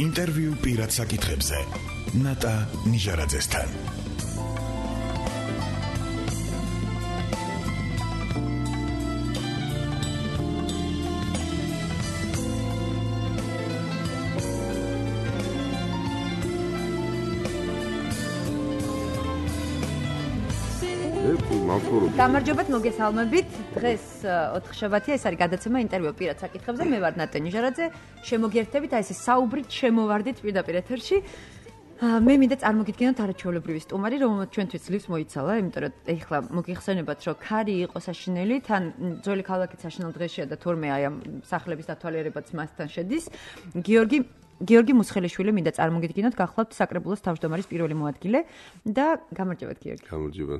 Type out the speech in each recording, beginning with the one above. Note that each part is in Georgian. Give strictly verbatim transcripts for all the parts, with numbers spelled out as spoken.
ინტერვიუ პირად საკითხებზე ნატა ნიჟარაძესთან. გამარჯობათ, მოგესალმებით. დღეს ოთხშაბათია, ეს არის გადაცემა ინტერვიუ პირად საკითხებზე. მე ვარ ნატა ნიჟარაძე. შემოგიერთებით აი ეს საუბრით, შემოვარდით პირდაპირ ეთერში. მე მინდა წარმოგიდგენოთ არაჩვეულებრივი სტუმარი, რომელმაც ჩვენთვის ძლივს მოიცალა, იმიტომ რომ ეხლა მოგიხსენებათ, რომ ქარი იყო საშინელი, თან ძველი ქალაქიც საშინელ დღეშია და თორმე აი ამ სახლების დათვალიერებაც მასთან შედის. გიორგი გიორგი მუსხელიშვილი მინდა წარმოგიდგინოთ, გახლავთ საკრებულოს თავმჯდომარის პირველი მოადგილე და გამარჯობათ გიორგი. გამარჯობა.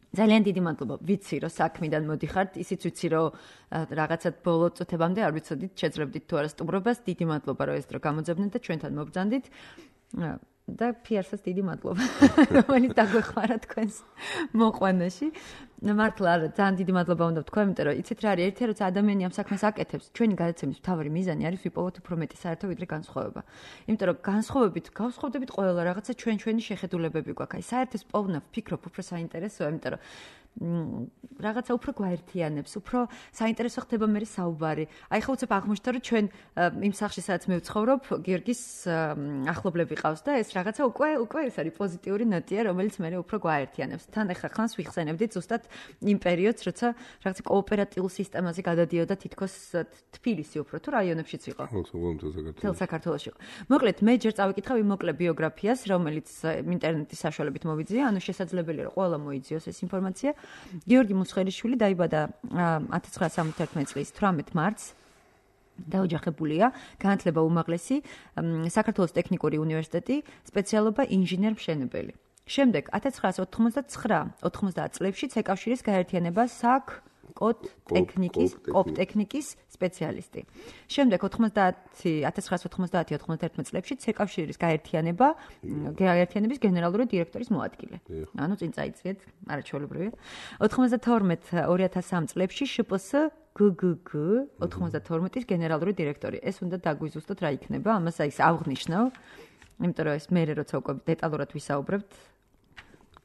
ძალიან დიდი მადლობა. ვიცი, რომ საქმიდან მოდიხართ, ისიც ვიცი, რომ რაღაცად ბოლო წუთებამდე არ ვიცოდით, შეძლებდით თუ არა სტუმრობას. დიდი მადლობა, რომ ეს დრო გამოძებნეთ და ჩვენთან მობრძანდით. და ფიარსაც დიდი მადლობა, რომელიც დაგვეხმარა თქვენს მოყვანაში. მართლა არა, ძალიან დიდი მადლობა უნდა ვთქვა, იმიტომ რომ იცით რა არის, ერთი როცა ადამიანი ამ საქმეს აკეთებს, ჩვენი გადაცემის მთავარი მიზანი არის ვიპოვოთ უფრო მეტი საერთო ვიდრე განსხვავება. იმიტომ რომ განსხვავებით გავსხვავდებით ყველა რაღაცა ჩვენ ჩვენი შეხედულებები გვაქვს. აი საერთოს პოვნა ვფიქრობ უფრო საინტერესოა, იმიტომ რომ რაღაცა უფრო გვაერთიანებს, უფრო საინტერესო ხდება მე საუბარი. აი ხო უცებ აღმოჩნდა რომ ჩვენ იმ სახლში სადაც მე ვცხოვრობ, გიორგის ახლობლები ყავს და ეს რაღაცა უკვე უკვე ეს არის პოზიტიური ნოტია, რომელიც მე უფრო გვაერთიანებს. თან ახლა ხანს ვიხსენებდით ზუსტად იმ პერიოდს, როცა რაღაცა კოოპერატიულ სისტემაზე გადადიოდა თითქოს თბილისი უფრო თუ რაიონებშიც იყო. თელ საქართველოში. მოკლედ მე ჯერ წავიკითხავ იმ მოკლე ბიოგრაფიას, რომელიც ინტერნეტის საშუალებით მოვიძია, ანუ შესაძლებელია რომ ყველა მოიძიოს ეს ინფორმაცია. გიორგი მუსხელიშვილი დაიბადა ათას ცხრაასი სამოცდაერთმეტი წლის თვრამეტ მარტს. დაოჯახებულია, განათლება უმაღლესი, საქართველოს ტექნიკური უნივერსიტეტი, სპეციალობა ინჟინერ-მშენებელი. შემდეგ ათას ცხრაასი ოთხმოცდაცხრა ოთხმოცდაათ წლებში ცეკავშირის გაერთიანება საქ კოდ ტექნიკის, კოპ ტექნიკის სპეციალისტი. შემდეგ ათას ცხრაასი ოცდაათი ოცდაათი წლებში ცეკავშირის გაერთიანება, გაერთიანების გენერალური დირექტორის მოადგილე. ანუ წინ წაიწიეთ, არაჩვეულებრივია. ოცდათორმეტი ორი ათას სამი წლებში შპს გგგ ოცდათორმეტის გენერალური დირექტორი. ეს უნდა დაგვიზუსტოთ რა იქნება, ამას აი ავღნიშნავ, იმიტომ რომ ეს მე როცა უკვე დეტალურად ვისაუბრებთ,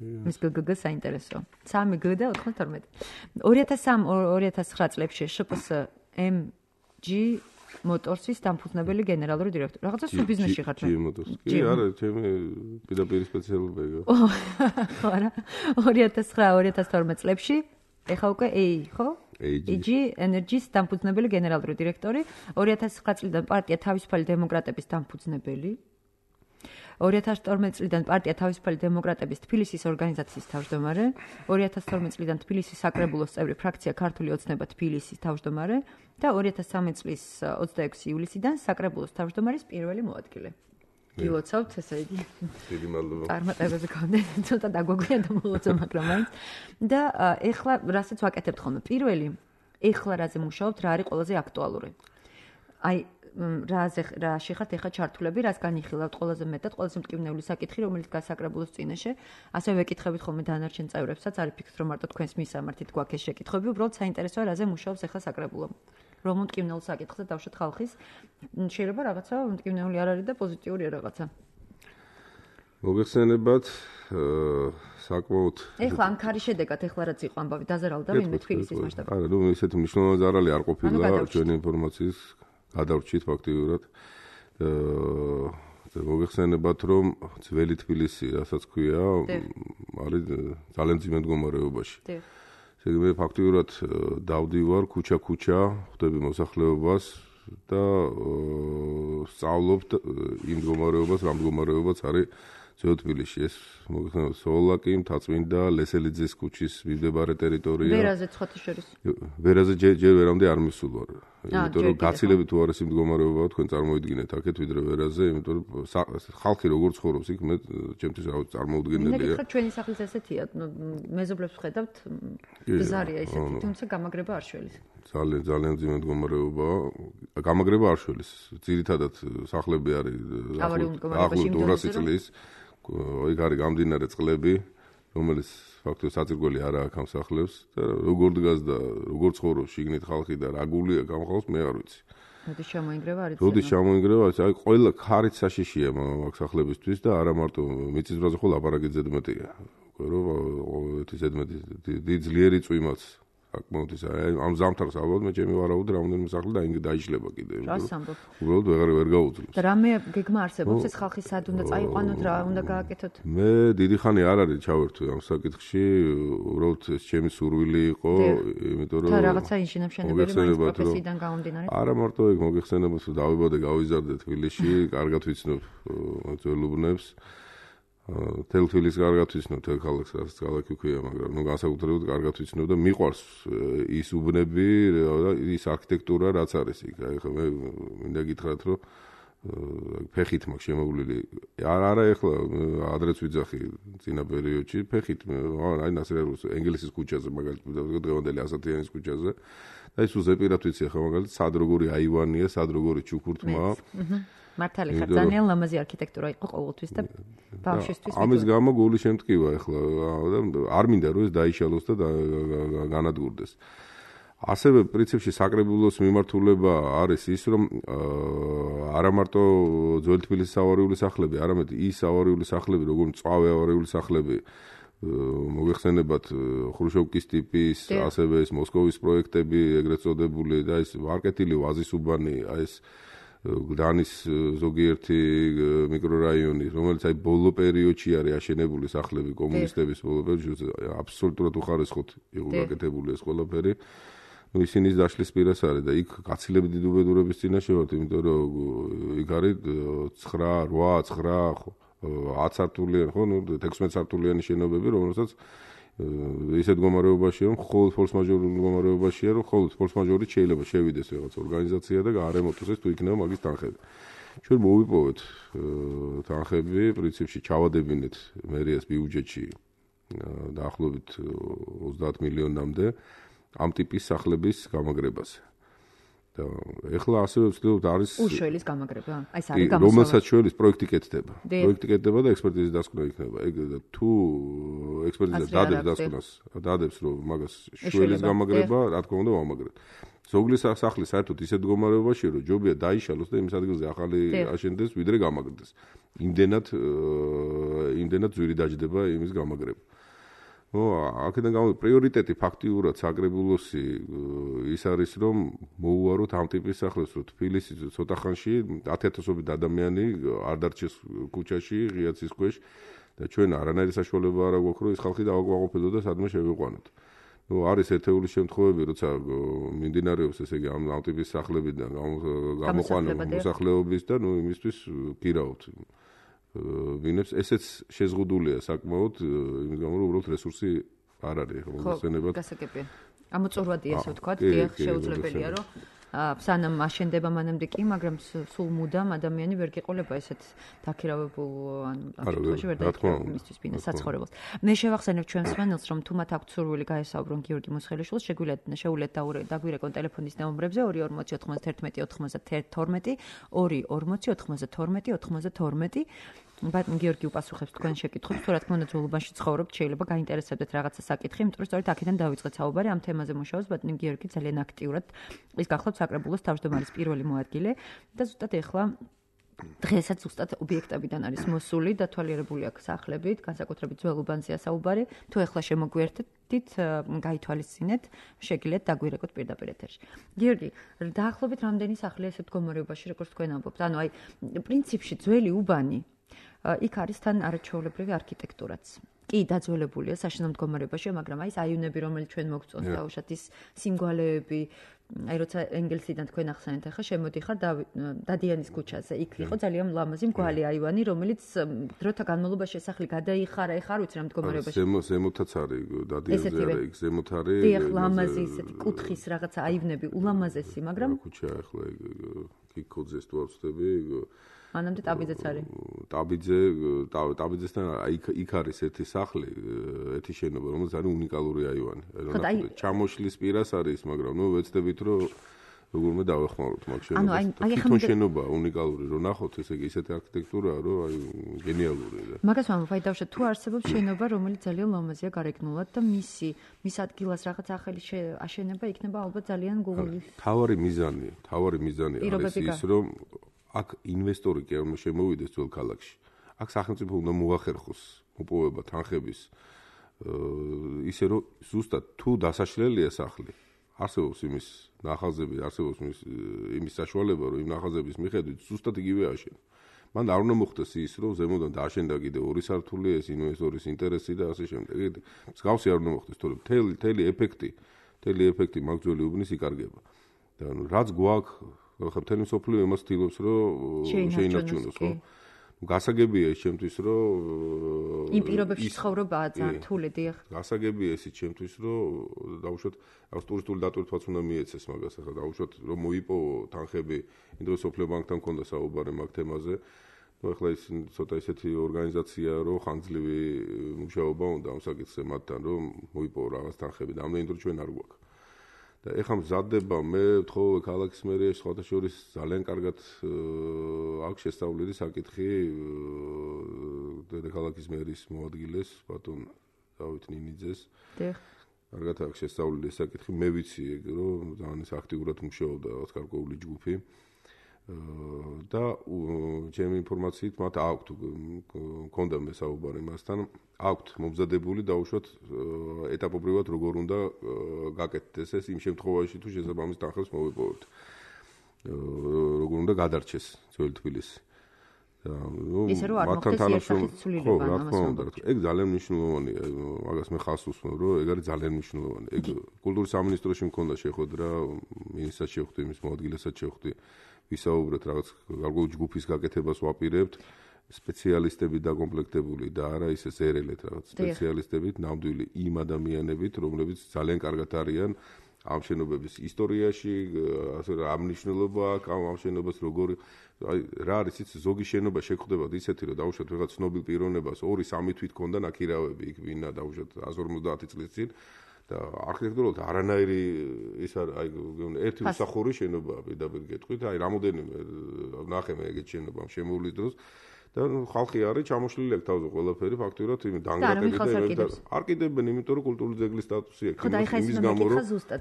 მის გგგ საინტერესო. სამი გ და ოცდათორმეტი. ორი ათას სამი ორი ათას ცხრა წლებში შპს ემჯი მოტორსის დამფუძნებელი გენერალური დირექტორი. რაღაცა სულ ბიზნესში ხართ. ჯი მოტორსი. კი, არა, ჩემი პირდაპირი სპეციალობაა. ხო, არა. ორი ათას ცხრა ორი ათას თორმეტი წლებში ეხა უკვე ეი, ხო? ეიჯი ენერგიის დამფუძნებელი გენერალური დირექტორი. ორი ათას ცხრა წლიდან პარტია თავისუფალი დემოკრატების დამფუძნებელი. ორი ათას თორმეტი წლიდან პარტია თავისუფალი დემოკრატების თბილისის ორგანიზაციის თავმჯდომარე, ორი ათას თორმეტი წლიდან თბილისის საკრებულოს წევრი ფრაქცია ქართული ოცნება თბილისის თავმჯდომარე და ორი ათას სამი წლის ოცდაექვსი ივლისიდან საკრებულოს თავმჯდომარის პირველი მოადგილე. გილოცავთ, ესე იგი. დიდი მადლობა. წარმატებაზე გქონდეთ, ცოტა დაგვაგვია და მოლოცა, მაგრამ მაინც. და ეხლა რასაც ვაკეთებთ ხოლმე, პირველი, ეხლა რაზე მუშაობთ, რა არის ყველაზე აქტუალური? აი რაზე რაში ხართ ეხა ჩართულები, რას განიხილავთ ყველაზე მეტად, ყველაზე მტკივნეული საკითხი, რომელიც გასაკრებულოს წინაშე, ასევე ვეკითხებით ხოლმე დანარჩენ წევრებსაც, არ ფიქრობთ რომ მარტო თქვენს მისამართით გვაქვს ეს შეკითხვები, უბრალოდ საინტერესოა რაზე მუშაობს ეხა საკრებულო. რომ მტკივნეულ საკითხზე დავშოთ ხალხის, შეიძლება რაღაცა მტკივნეული არ არის და პოზიტიურია რაღაცა. მოგეხსენებათ, საკმაოდ ეხლა ამ ქარის შედეგად ეხლა რაც იყო ამბავი დაზარალდა ვინმე თბილისის მასშტაბით. არა, ნუ ესეთი მნიშვნელოვანი ზარალი არ ყოფილა ჩვენი ინფორმაციის გადავრჩით ფაქტიურად. აა მოგეხსენებათ, რომ ძველი თბილისი, რასაც ქვია, არის ძალიან ძიმე მდგომარეობაში. ესე იგი მე ფაქტიურად დავდივარ ქუჩა-ქუჩა, ხვდები მოსახლეობას და სწავლობ იმ მდგომარეობას, რა მდგომარეობაც არის ძველ თბილისში. ეს მოგეხსენებათ, სოლაკი, მთაწმინდა, ლესელიძის ქუჩის მიმდებარე ტერიტორია. ვერაზე ცხოთის შორის. ვერაზე ჯერ ვერამდე არ მისულ ვარ. იმიტომ რომ გაცილებით უარესი მდგომარეობაა თქვენ წარმოიდგინეთ აქეთ ვიდრე ვერაზე, იმიტომ რომ ხალხი როგორ ცხოვრობს იქ მე ჩემთვის რა წარმოუდგენელია. მე გითხრათ ჩვენი სახლის ესეთია, მეზობლებს ვხედავთ, ბზარია ესეთი, თუმცა გამაგრება არ შველის. ძალიან ძალიან ძიმე მდგომარეობაა. გამაგრება არ შველის. ძირითადად სახლები არის ახლო ორასი წლის. იქ არის გამდინარე წყლები, რომელიც ფაქტობრივად საძირკველი არა აქვს ამ სახლებს და როგორ დგას და როგორ ცხოვრობს შიგნით ხალხი და რა გულია გამხავს მე არ ვიცი. როდის ჩამოინგრევა არის ცემა. როდის ჩამოინგრევა, აი ყველა ხარით საშიშია მაგ სახლებისთვის და არა მარტო მიწის ბრაზე ხო ლაპარაკი ზედმეტია. უკვე რომ ეს ზედმეტი დიდი ძლიერი წვიმაც საკმაოდ ის ამ ზამთარს ალბათ მე ჩემი ვარაუდი რამდენიმე სახლი და ინგ დაიშლება კიდე. უბრალოდ ვეღარ ვერ გაუძლებს. და რამე გეგმა არსებობს ეს ხალხი სად უნდა წაიყვანოთ, რა უნდა გააკეთოთ? მე დიდი ხანი არ არის ჩავერთვე ამ საკითხში, უბრალოდ ეს ჩემი სურვილი იყო, იმიტომ რომ და რაღაცა ინჟინერ-მშენებელი მაინც პროფესიიდან გამომდინარე. არა მარტო ეგ მოგეხსენებათ რომ დავიბადე, გავიზარდე თბილისში, კარგად ვიცნობ ძველუბნებს. თელ თბილისს კარგად ვიცნობ, თელ ქალაქს რაც ქალაქი ქვია, მაგრამ ნუ განსაკუთრებით კარგად ვიცნობ და მიყვარს ის უბნები და ის არქიტექტურა რაც არის იქ. აი ხო მე მინდა გითხრათ რომ ფეხით მაქვს შემოვლილი. არა არა ეხლა ადრეც ვიძახი წინა პერიოდში ფეხით აი ნასერეულს ენგელსის ქუჩაზე მაგალითად დღევანდელი ასათიანის ქუჩაზე და ის უზეპირად ვიცი ახლა მაგალითად სად როგორი აივანია, სად როგორი ჩუქურთმა. მართალი ხარ, ძალიან ლამაზი არქიტექტურა იყო ყოველთვის და ბავშვისთვის. ამის გამო გული შემტკივა ახლა და არ მინდა რომ ეს დაიშალოს და განადგურდეს. ასევე პრინციპში საკრებულოს მიმართულება არის ის, რომ არა მარტო ძველი თბილისის ავარიული სახლები, არამედ ის ავარიული სახლები, როგორც მწვავე ავარიული სახლები, მოგეხსენებათ ხრუშოვკის ტიპის, ასევე ეს მოსკოვის პროექტები, ეგრეთ წოდებული და ეს მარკეტილი ვაზისუბანი, აი ეს გდანის ზოგიერთი მიკრორაიონი, რომელიც აი ბოლო პერიოდში არის აშენებული სახლები კომუნისტების ბოლო პერიოდში, აბსოლუტურად უხარისხოთ იყო გაკეთებული ეს ყველაფერი. ნუ ისინის დაშლის პირას არის და იქ გაცილებით დიდ უბედურების წინაშე ვართ, იმიტომ რომ იქ არის ცხრა, რვა, ცხრა, ათი სართულიანი, ხო, ნუ ექვსმეტ სართულიანი შენობები, რომელსაც ისეთ მდგომარეობაშია, რომ მხოლოდ ფორს-მაჟორულ მდგომარეობაშია, რომ მხოლოდ ფორს-მაჟორით შეიძლება შევიდეს რაღაც ორგანიზაცია და გაარემონტოს ეს თუ იქნება მაგის თანხები. ჩვენ მოვიპოვეთ თანხები, პრინციპში ჩავადებინეთ მერიას ბიუჯეტში დაახლოებით ოცდაათ მილიონამდე ამ ტიპის სახლების გამაგრებაზე. და ეხლა ასევე ვცდილობთ არის უშველის გამაგრება. აი ეს არის გამოსავალი. რომელსაც შველის პროექტი კეთდება. პროექტი კეთდება და ექსპერტიზის დასკვნა იქნება. ეგ თუ ექსპერტიზა დადებს დასკვნას, დადებს რომ მაგას შველის გამაგრება, რა თქმა უნდა, ვამაგრებთ. ზოგლის სახლი საერთოდ ისეთ მდგომარეობაშია, რომ ჯობია დაიშალოს და იმის ადგილზე ახალი აშენდეს, ვიდრე გამაგრდეს. იმდენად იმდენად ძვირი დაждდება იმის გამაგრება. ნუ აქედან გამო პრიორიტეტი ფაქტიურად საკრებულოსი ის არის რომ მოუაროთ ამ ტიპის სახლებს, რომ თბილისი ცოტა ხანში ათი-ათასობით ადამიანი არ დარჩეს ქუჩაში, ღიაცის ქვეშ და ჩვენ არანაირი საშუალება არ აქვს რომ ეს ხალხი დავაკვაყოფილოთ და სადმე შევიყვანოთ. ნუ არის ერთეული შემთხვევები, როცა მიმდინარეობს ესე იგი ამ ტიპის სახლებიდან გამოყვანა მოსახლეობის და ნუ იმისთვის გირაობთ. ვინებს ესეც შეზღუდულია საკმაოდ იმის გამო რომ უბრალოდ რესურსი არ არის ხო მოგხსენებათ. ხო, გასაგებია. ამოწურვადია ასე ვთქვათ, დიახ, შეუძლებელია რომ სანამ აშენდება მანამდე კი, მაგრამ სულ მუდამ ადამიანი ვერ გიყოლება ესეთ დაქირავებულ ანუ აფეთქოში ვერ დაიწყება მისთვის ბინა საცხოვრებელს. მე შევახსენებ ჩვენს მსმენელს, რომ თუ მათ აქვთ სურვილი გაესაუბრონ გიორგი მუსხელიშვილს, შეგვიძლიათ შეუძლეთ დაგვირეკონ ტელეფონის ნომრებზე ორი ორმოცი ოთხმოცდაერთმეტი ოთხმოცდათერთმეტი, ორი ორმოცი ოთხმოცდათორმეტი ოთხმოცდათორმეტი. ბატონ გიორგი უპასუხებს თქვენ შეკითხვებს, თუ რა თქმა უნდა ძველობაში ცხოვრობთ, შეიძლება გაინტერესებდეთ რაღაცა საკითხი, იმიტომ რომ სწორედ აქედან დავიწყეთ საუბარი, ამ თემაზე მუშაობს ბატონ გიორგი ძალიან აქტიურად. ის გახლავთ საკრებულოს თავმჯდომარის პირველი მოადგილე და ზუსტად ეხლა დღესაც ზუსტად ობიექტებიდან არის მოსული, დათვალიერებული აქვს სახლებით, განსაკუთრებით ძველ უბანზეა საუბარი. თუ ეხლა შემოგვიერთდით, გაითვალისწინეთ, შეგიძლიათ დაგვირეკოთ პირდაპირ ეთერში. გიორგი, დაახლოებით რამდენი სახლია ესეთ მდგომარეობაში, როგორც თქვენ ამბობთ? ანუ აი, პრინციპში ძველი უბანი იქ არის თან არაჩვეულებრივი არქიტექტურაც. კი, დაძველებულია საშინელ მდგომარეობაში, მაგრამ აი ეს აივნები, რომელიც ჩვენ მოგწონს დაუშვათ ის სიმგვალეები, აი როცა ენგელსიდან თქვენ ახსენეთ, ახლა შემოდიხარ დადიანის ქუჩაზე. იქ იყო ძალიან ლამაზი მგვალი აივანი, რომელიც დროთა განმავლობაში სახლი გადაიხარა, ეხლა არ ვიცი რა მდგომარეობაში. ზემოთაც არის დადიანზე არის, იქ ზემოთ არის. დიახ, ლამაზი ისეთი კუთხის რაღაცა აივნები, ულამაზესი, მაგრამ ქუჩა ახლა კიკოძეს თუ არ ვწდები, მანამდე ტაბიძეც არის. ტაბიძე, ტაბიძესთან იქ იქ არის ერთი სახლი, ერთი შენობა, რომელიც არის უნიკალური აივანი. ჩამოშლის პირას არის, მაგრამ ნუ ვეცდებით რომ როგორმე დავეხმაროთ მაგ შენობას. თვითონ შენობა უნიკალური რო ნახოთ, ესე იგი ისეთი არქიტექტურაა, რომ აი გენიალური. მაგას ვამბობ, აი დავშოთ თუ არსებობს შენობა, რომელიც ძალიან ლამაზია გარეგნულად და მისი მის ადგილას რაღაც ახალი აშენება იქნება ალბათ ძალიან გუგლის. თავარი მიზანი, თავარი მიზანი არის ის, რომ აქ ინვესტორი კი არ შემოვიდეს ძველ ქალაქში. აქ სახელმწიფო უნდა მოახერხოს მოპოვება თანხების ისე რომ ზუსტად თუ დასაშლელია სახლი არსებობს იმის ნახაზები, არსებობს იმის იმის საშუალება, რომ იმ ნახაზების მიხედვით ზუსტად იგივე აშენო. მან არ უნდა მოხდეს ის, რომ ზემოდან დააშენდა კიდე ორი სართული, ეს ინვესტორის ინტერესი და ასე შემდეგ. მსგავსი არ უნდა მოხდეს, თორემ მთელი მთელი ეფექტი, მთელი ეფექტი მაგ ძველი უბნის იკარგება. და რაც გვაქვს, ხა მთელი მსოფლიო იმას ცდილობს, რომ შეინარჩუნოს, ხო? გასაგებია ის ჩემთვის, რომ იმ პირობებში ცხოვრობაა ძალიან რთული, დიახ. გასაგებია ისიც ჩემთვის, რომ დაუშვათ აქვს ტურისტული დატვირთვაც უნდა მიეცეს მაგას, ახლა დაუშვათ რომ მოიპოვო თანხები, იმ დროს სოფლიო ბანკთან მქონდა საუბარი მაგ თემაზე. ნუ ახლა ის ცოტა ისეთი ორგანიზაცია, რომ ხანგრძლივი მუშაობა უნდა ამ საკითხზე მათთან, რომ მოიპოვო რაღაც თანხები და ამდენი დრო ჩვენ არ გვაქვს. და ეხლა მზადდება მე ვთხოვე ქალაქის მერიაში სხვათა შორის ძალიან კარგად აქვს შესწავლილი საკითხი დედაქალაქის მერის მოადგილეს ბატონ დავით ნინიძეს. დიახ. კარგად აქვს შესწავლილი საკითხი, მე ვიცი ეგ რომ ძალიან ის აქტიურად მუშაობდა რაღაც გარკვეული ჯგუფი. და ჩემი ინფორმაციით მათ აქვთ მქონდა მე საუბარი მასთან აქვთ მომზადებული დაუშვათ ეტაპობრივად როგორ უნდა გაკეთდეს ეს იმ შემთხვევაში თუ შესაბამის თანხებს მოვიპოვებთ როგორ უნდა გადარჩეს ძველი თბილისი და ნუ მათთან თანამშრომლობა ხო რა თქმა უნდა ეგ ძალიან მნიშვნელოვანია მაგას მე ხას უსმენ რომ ეგ არის ძალიან მნიშვნელოვანი ეგ კულტურის სამინისტროში მქონდა შეხვედრა მინისტრად შევხვდი მის მოადგილესაც შევხვდი ვისაუბრეთ რაღაც გარკვეული ჯგუფის გაკეთებას ვაპირებთ სპეციალისტები დაკომპლექტებული და არა ისე ზერელეთ რაღაც სპეციალისტებით ნამდვილი იმ ადამიანებით რომლებიც ძალიან კარგად არიან ამ შენობების ისტორიაში ასე რა მნიშვნელობა აქვს ამ შენობას როგორი აი რა არის იცი ზოგი შენობა შეგხვდებათ ისეთი რომ დაუშვათ რაღაც ცნობილ პიროვნებას ორი სამი თვით ქონდა ნაკირავები იქ ვინა დაუშვათ εκατს ორმოცდაათი წლის წინ და არქიტექტურულად არანაირი ის აი ერთი უსახური შენობაა პირდაპირ გეტყვით აი რამოდენიმე ნახე მე ეგეთ შენობა შემოვლის დროს და ხალხი არის ჩამოშლილი აქ თავზე ყველაფერი ფაქტურად იმ დანგრაკები და არ კიდებენ იმიტომ რომ კულტურული ძეგლის სტატუსი აქვს იმის გამო რომ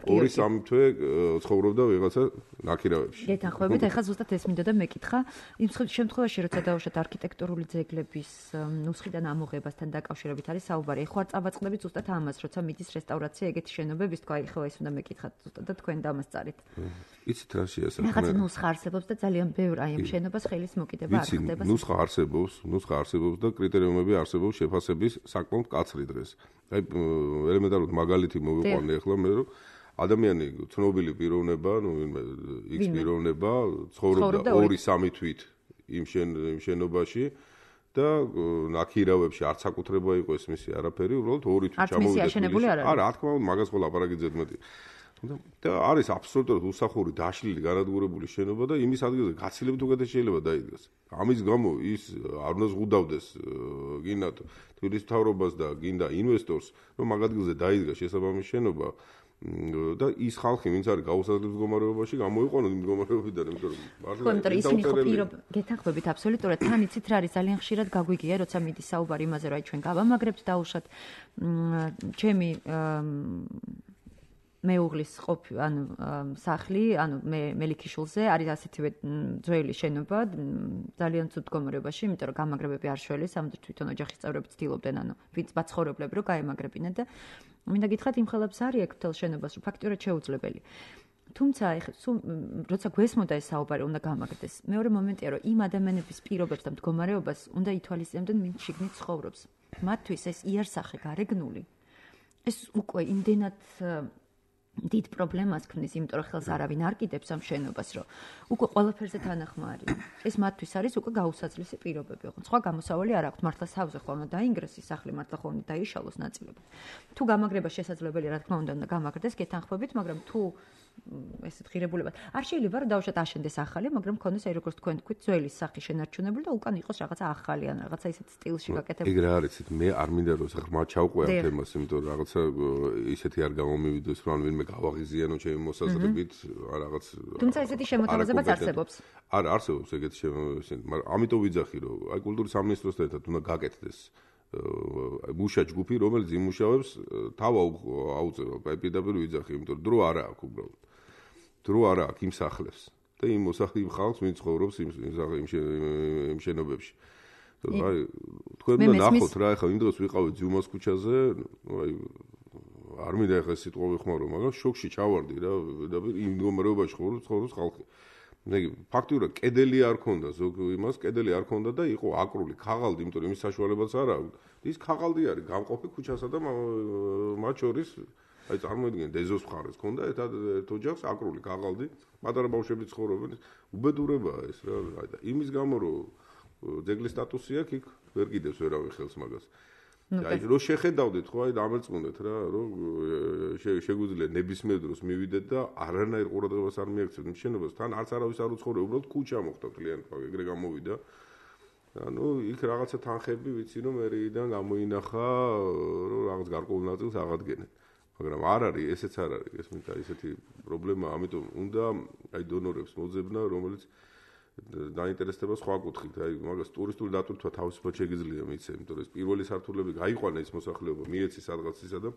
ორი სამი თვე ცხოვრობდა ვიღაცა ნაკირავებში გეთანხმებით ეხლა ზუსტად ეს მინდოდა მეკითხა იმ შემთხვევაში როცა დავუშვათ არქიტექტურული ძეგლების ნუსხიდან ამოღებასთან დაკავშირებით არის საუბარი ეხლა წავაწყდებით ზუსტად ამას როცა მიდის რესტავრაცია ეგეთი შენობების თქვა ეხლა ის უნდა მეკითხათ ზუსტად და თქვენ დამასწარით იცით რა შეასახმე რაღაც ნუსხა არსებობს და ძალიან ბევრ აი ამ შენობას ხელის მოკიდება არ ხდება ნუსხა არსებობს ნუსხა არსებობს და კრიტერიუმები არსებობს შეფასების საკმაოდ მკაცრი დღეს. აი ელემენტარულად მაგალითი მოვიყვანე ახლა მე რომ ადამიანი ცნობილი პიროვნება, ну X პიროვნება ცხოვრობდა ორი სამი თვით იმ იმ შენობაში და ნაკირავებში არც საკუთრება იყო ეს მისი არაფერი, უბრალოდ ორი თვით ჩამოვიდა. არა, რა თქმა უნდა, მაგას ყველა აპარაკი ზედმეტი. და არის აბსოლუტურად უსახური დაშლილი განადგურებული შენობა და იმის ადგილზე გაცილებით უკეთეს შეიძლება დაიდგას. ამის გამო ის არ უნდა ზღუდავდეს გინდა თბილისის მთავრობას და გინდა ინვესტორს, რომ მაგ ადგილზე დაიდგას შესაბამის შენობა და ის ხალხი, ვინც არის გაუსაზრდელ მდგომარეობაში, გამოიყვანოს იმ მდგომარეობიდან, იმიტომ რომ მართლა ისინი ხო პირობ გეთანხმებით აბსოლუტურად თან იცით რა არის ძალიან ხშირად გაგვიგია, როცა მიდის საუბარი იმაზე, რომ აი ჩვენ გავამაგრებთ დაუშვათ ჩემი მეუღლის ყოფ ანუ სახლი, ანუ მე მელიქიშვილზე არის ასეთივე ძველი შენობა, ძალიან ცუდ მდგომარეობაში, იმიტომ რომ გამაგრებები არ შველეს, ამიტომ თვითონ ოჯახის წევრები ცდილობდნენ, ანუ ვინც მაცხოვრებლები რომ გაემაგრებინათ და მინდა გითხრათ იმ ხელებს არის აქ თელ შენობას, რომ ფაქტურად შეუძლებელი. თუმცა ეხლა როცა გვესმოდა ეს საუბარი უნდა გამაგრდეს. მეორე მომენტია რომ იმ ადამიანების პირობებს და მდგომარეობას უნდა ითვალისწინებდნენ ვინც შიგნით ცხოვრობს. მათთვის ეს იარსახე გარეგნული ეს უკვე იმდენად დიდ პრობლემას ქმნის, იმიტომ რომ ხელს არავინ არ კიდებს ამ შენობას, რომ უკვე ყველაფერზე თანახმარი. ეს მათთვის არის უკვე გაუსაძლისი პირობები. ხო, სხვა გამოსავალი არ აქვთ. მართლა თავზე ხო უნდა დაინგრეს ის სახლი, მართლა ხო უნდა დაიშალოს ნაწილებად. თუ გამაგრება შესაძლებელია, რა თქმა უნდა, უნდა გამაგრდეს გეთანხმებით, მაგრამ თუ ესეთ ღირებულებად არ შეიძლება რომ დავუშვათ აშენდეს ახალი, მაგრამ მქონდეს აი როგორც თქვენ თქვით, ძველი სახი შენარჩუნებული და უკან იყოს რაღაცა ახალი ან რაღაცა ისეთ სტილში გაკეთებული. ეგ რა არის, მე არ მინდა რომ ღრმად ჩავყვე ამ თემას, იმიტომ რომ რაღაცა ისეთი არ გამომივიდეს, რომ ან ვინმე მე გავაღიზიანო ჩემი მოსაზრებით რაღაც თუმცა ესეთი შემოთავაზებაც არსებობს არა არსებობს ეგეთი შემოთავაზება მაგრამ ამიტომ ვიძახი რომ აი კულტურის სამინისტროსთან ერთად უნდა გაკეთდეს მუშა ჯგუფი რომელიც იმუშავებს თავ აუწევა აი პირდაპირ ვიძახი იმიტომ რომ დრო არა აქვს უბრალოდ დრო არა აქვს იმ სახლებს და იმ მოსახლე ხალხს ვინც ცხოვრობს იმ იმ შენობებში აი თქვენ უნდა ნახოთ რა ეხლა იმ დროს ვიყავით ძიუმას ქუჩაზე აი არ მინდა ეხლა სიტყვა ვიხმარო მაგრამ შოკში ჩავარდი რა და იმ მდგომარეობაში ცხოვრობს ხალხი მე ფაქტურად კედელი არ ქონდა ზოგ იმას კედელი არ ქონდა და იყო აკრული ქაღალდი იმიტომ რომ იმის საშუალებაც არ აქვს ის ქაღალდი არის გამყოფი ქუჩასა და მათ შორის აი წარმოიდგინეთ ეზოს მხარეს ქონდა ერთად ერთ ოჯახს აკრული ქაღალდი პატარა ბავშვები ცხოვრობენ უბედურებაა ეს რა აი და იმის გამო რომ ძეგლის სტატუსი აქვს იქ ვერ კიდევს ვერავინ ხელს მაგას აი რო შეხედავდით ხო აი დამერწმუნდეთ რა რომ შეგვიძლია ნებისმიერ დროს მივიდეთ და არანაირ ყურადღებას არ მიაქცევთ იმ შენობას თან არც არავის არ უცხოურე უბრალოდ ქუჩა მოხდა კლიენტ ეგრე გამოვიდა ანუ იქ რაღაცა თანხები ვიცი რომ მერეიდან გამოინახა რომ რაღაც გარკვეულ ნაწილს აღადგენენ მაგრამ არ არის ესეც არ არის ეს მინდა ისეთი პრობლემა ამიტომ უნდა აი დონორებს მოძებნა რომელიც დაინტერესდება სხვა კუთხით, აი მაგას ტურისტული დატვირთვა თავისუფლად შეგიძლია მიცე, იმიტომ რომ პირველი სართულები გაიყვანა ეს მოსახლეობა, მიეცი სადღაცისა და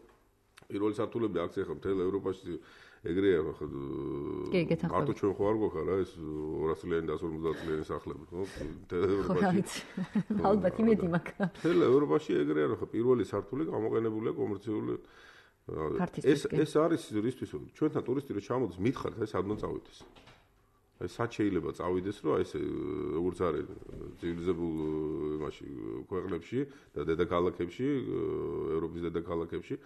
პირველი სართულები აქ ახლა მთელ ევროპაში ეგრეა ხო მარტო ჩვენ ხო არ გვაქვს რა ეს ორას წლიანი და ას ორმოცდაათ წლიანი სახლები, ხო? მთელ ევროპაში. ალბათ იმედი მაქვს. მთელ ევროპაში ეგრეა ხო პირველი სართული გამოყენებულია კომერციული ეს ეს არის რისთვის ჩვენთან ტურისტი რო ჩამოდის მითხართ ეს ადმან წავიდეს. აი სად შეიძლება წავიდეს რომ აი ეს როგორც არის ცივილიზებულ იმაში ქვეყნებში და დედაქალაქებში ევროპის დედაქალაქებში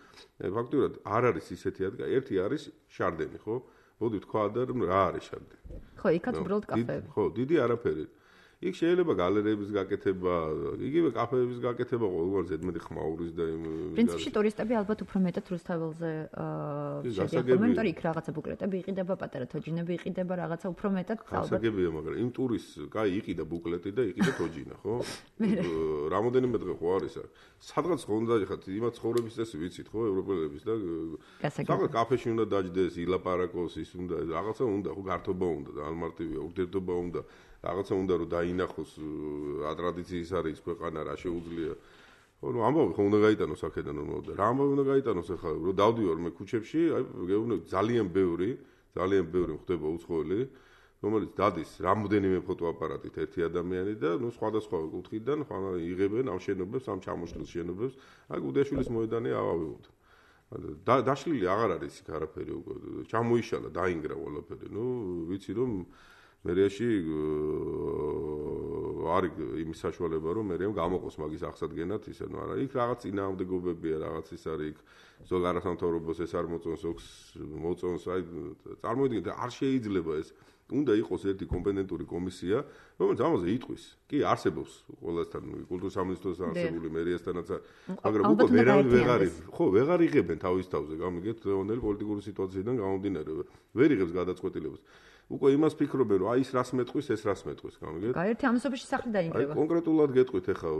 ფაქტურად არ არის ისეთი ადგილი ერთი არის შარდენი ხო მოდი თქვა და რა არის შარდენი ხო იქაც უბრალოდ კაფეები ხო დიდი არაფერი იქ შეიძლება გალერეების გაკეთება იგივე კაფეების გაკეთება ყოველგვარ ზედმეტი ხმაურის და იმ პრინციპში ტურისტები ალბათ უფრო მეტად რუსთაველზე შეგეხებიან იმიტომ იქ რაღაცა ბუკლეტები იყიდება პატარა თოჯინები იყიდება რაღაცა უფრო მეტად ალბათ გასაგებია მაგრამ იმ ტურის კაი იყიდა ბუკლეტი და იყიდა თოჯინა ხო რამოდენიმე დღე ხო არის აქ სადღაც ხონდა ხათ იმათ ცხოვრების წესი ვიცით ხო ევროპელების და სადღაც კაფეში უნდა დაჯდეს ილაპარაკოს ის უნდა რაღაცა უნდა ხო გართობა უნდა და ალმარტივია ურთიერთობა უნდა რაღაცა უნდა რომ დაინახოს რა ტრადიციის არის ქვეყანა რა შეუძლია ხო ნუ ამბობ ხო უნდა გაიტანოს აქედან უნდა რა ამბობ უნდა გაიტანოს ახლა რომ დავდივარ მე ქუჩებში აი გეუბნები ძალიან ბევრი ძალიან ბევრი ხდება უცხოელი რომელიც დადის რამოდენიმე ფოტოაპარატით ერთი ადამიანი და ნუ სხვადასხვა კუთხიდან ხან იღებენ ამ შენობებს ამ ჩამოშლილ შენობებს აი გუდეშვილის მოედანი ავავებთ და დაშლილი აღარ არის იქ არაფერი უკვე ჩამოიშალა დაინგრა ყველაფერი ნუ ვიცი რომ მერიაში არის იმის საშუალება რომ მერეამ გამოყოს მაგის აღსადგენად ისე ნუ არა იქ რაღაც წინააღმდეგობებია რაღაც ის არის იქ ზოგ არასამთავრობოს ეს არ მოწონს ოქს მოწონს აი წარმოიდგინეთ არ შეიძლება ეს უნდა იყოს ერთი კომპეტენტური კომისია რომელიც ამაზე იტყვის კი არსებობს ყველასთან კულტურის სამინისტროს არსებული მერიასთანაც მაგრამ უკვე ვერავინ ვეღარ ხო ვეღარ იღებენ თავის თავზე გამიგეთ რეგიონალური პოლიტიკური სიტუაციიდან გამომდინარე ვერ იღებს გადაწყვეტილებას უკვე იმას ფიქრობენ რომ აი ის რას მეტყვის ეს რას მეტყვის გამიგეთ აი ერთი ამასობაში სახლი დაინგრევა აი კონკრეტულად გეტყვით ახლა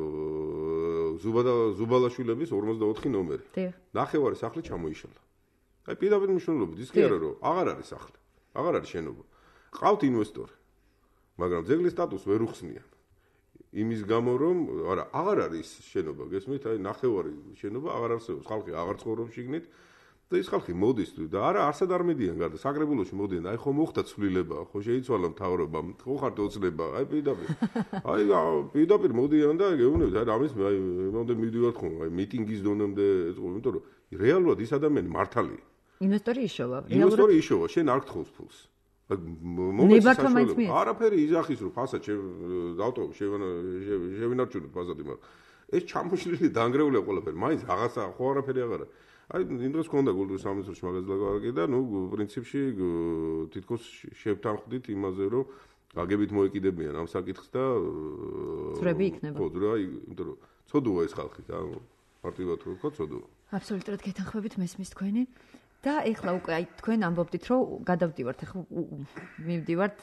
ზუბადა ზუბალაშვილების ორმოცდაოთხი ნომერი ნახევარი სახლი ჩამოიშალა აი პირდაპირ მნიშვნელობით ის კი არა რომ აღარ არის სახლი აღარ არის შენობა ყავთ ინვესტორი მაგრამ ძეგლის სტატუსს ვერ უხსნიან იმის გამო რომ არა აღარ არის შენობა გესმით აი ნახევარი შენობა აღარ არსებობს ხალხი აღარ ცხოვრობს შიგნით და ის ხალხი მოდის და არა არსად არ მიდიან გარდა საგრებულოში მოდიან აი ხო მოხდა ცვლილება ხო შეიცვალა მთავრობამ ხო ხართ ოცნება აი პირდაპირ აი პირდაპირ მოდიან და გეუბნებით აი ამის აი მომდე მიდივართ ხო აი მიტინგის დონემდე ეწყო იმიტომ რომ რეალურად ის ადამიანი მართალია ინვესტორი იშოვა ინვესტორი იშოვა შენ არ გთხოვს ფულს მომეცი არაფერი იძახის რომ ფასად დავტოვ შევინარჩუნოთ ფასადი მაგრამ ეს ჩამოშლილი დაანგრეულია ყველაფერი მაინც რაღაცა ხო არაფერი აღარა აი იმ დროს ქონდა კულტურის სამინისტროში მაგაზე ლაპარაკი და ნუ პრინციპში თითქოს შევთანხმდით იმაზე რომ გაგებით მოეკიდებიან ამ საკითხს და ძრები იქნება ხო ძრა იმიტომ რომ ცოდუა ეს ხალხი და მარტივად რო ვთქვა ცოდუა აბსოლუტურად გეთანხმებით მესმის თქვენი და ეხლა უკვე აი თქვენ ამბობდით რომ გადავდივართ ეხლა მივდივართ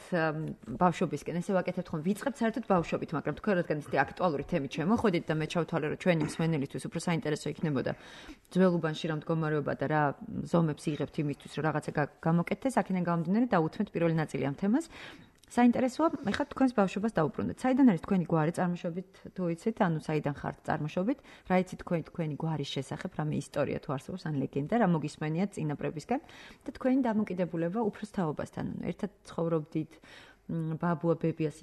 ბავშვობისკენ ესე ვაკეთებთ ხომ ვიწყებთ საერთოდ ბავშვობით მაგრამ თქვენ რადგან ისეთი აქტუალური თემით შემოხვედით და მე ჩავთვალე რომ ჩვენი მსმენელისთვის უფრო საინტერესო იქნებოდა ძველუბანში რა მდგომარეობა და რა ზომებს იღებთ იმისთვის რომ რაღაცა გამოკეთდეს აქედან გამომდინარე დაუთმეთ პირველი ნაწილი ამ თემას საინტერესოა ეხლა თქვენს ბავშვობას დაუბრუნდეთ საიდან არის თქვენი გვარი წარმოშობით თუ იცით ანუ საიდან ხართ წარმოშობით რა იცით თქვენ თქვენი გვარის შესახებ რამე ისტორია თუ არსებობს ან ლეგენდა რა მოგისმენიათ წინაპრებისგან და თქვენი დამოკიდებულება უფროს თაობასთან ერთად ცხოვრობდით ბაბუა ბებიას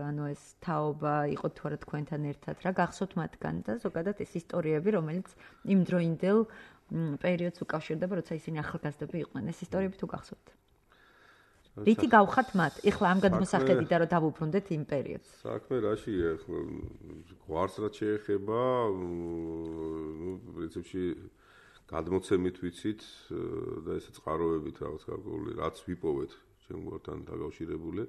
ანუ ეს თაობა იყო თუ არა თქვენთან ერთად რა გახსოვთ მათგან და ზოგადად ეს ისტორიები რომელიც იმ დროინდელ პერიოდს უკავშირდება როცა ისინი ახალგაზრდები იყვნენ ეს ისტორიები თუ გახსოვთ რითი გავხართ მათ? ეხლა ამ გადმოსახედით და რომ დავუბრუნდეთ იმ პერიოდს. საქმე რაშია? ეხლა გვარს რაც შეეხება, ნუ პრინციპში გადმოცემით ვიცით და ესე წყაროებით რაღაც გარკვეული რაც ვიპოვეთ ჩემ გვართან დაკავშირებული,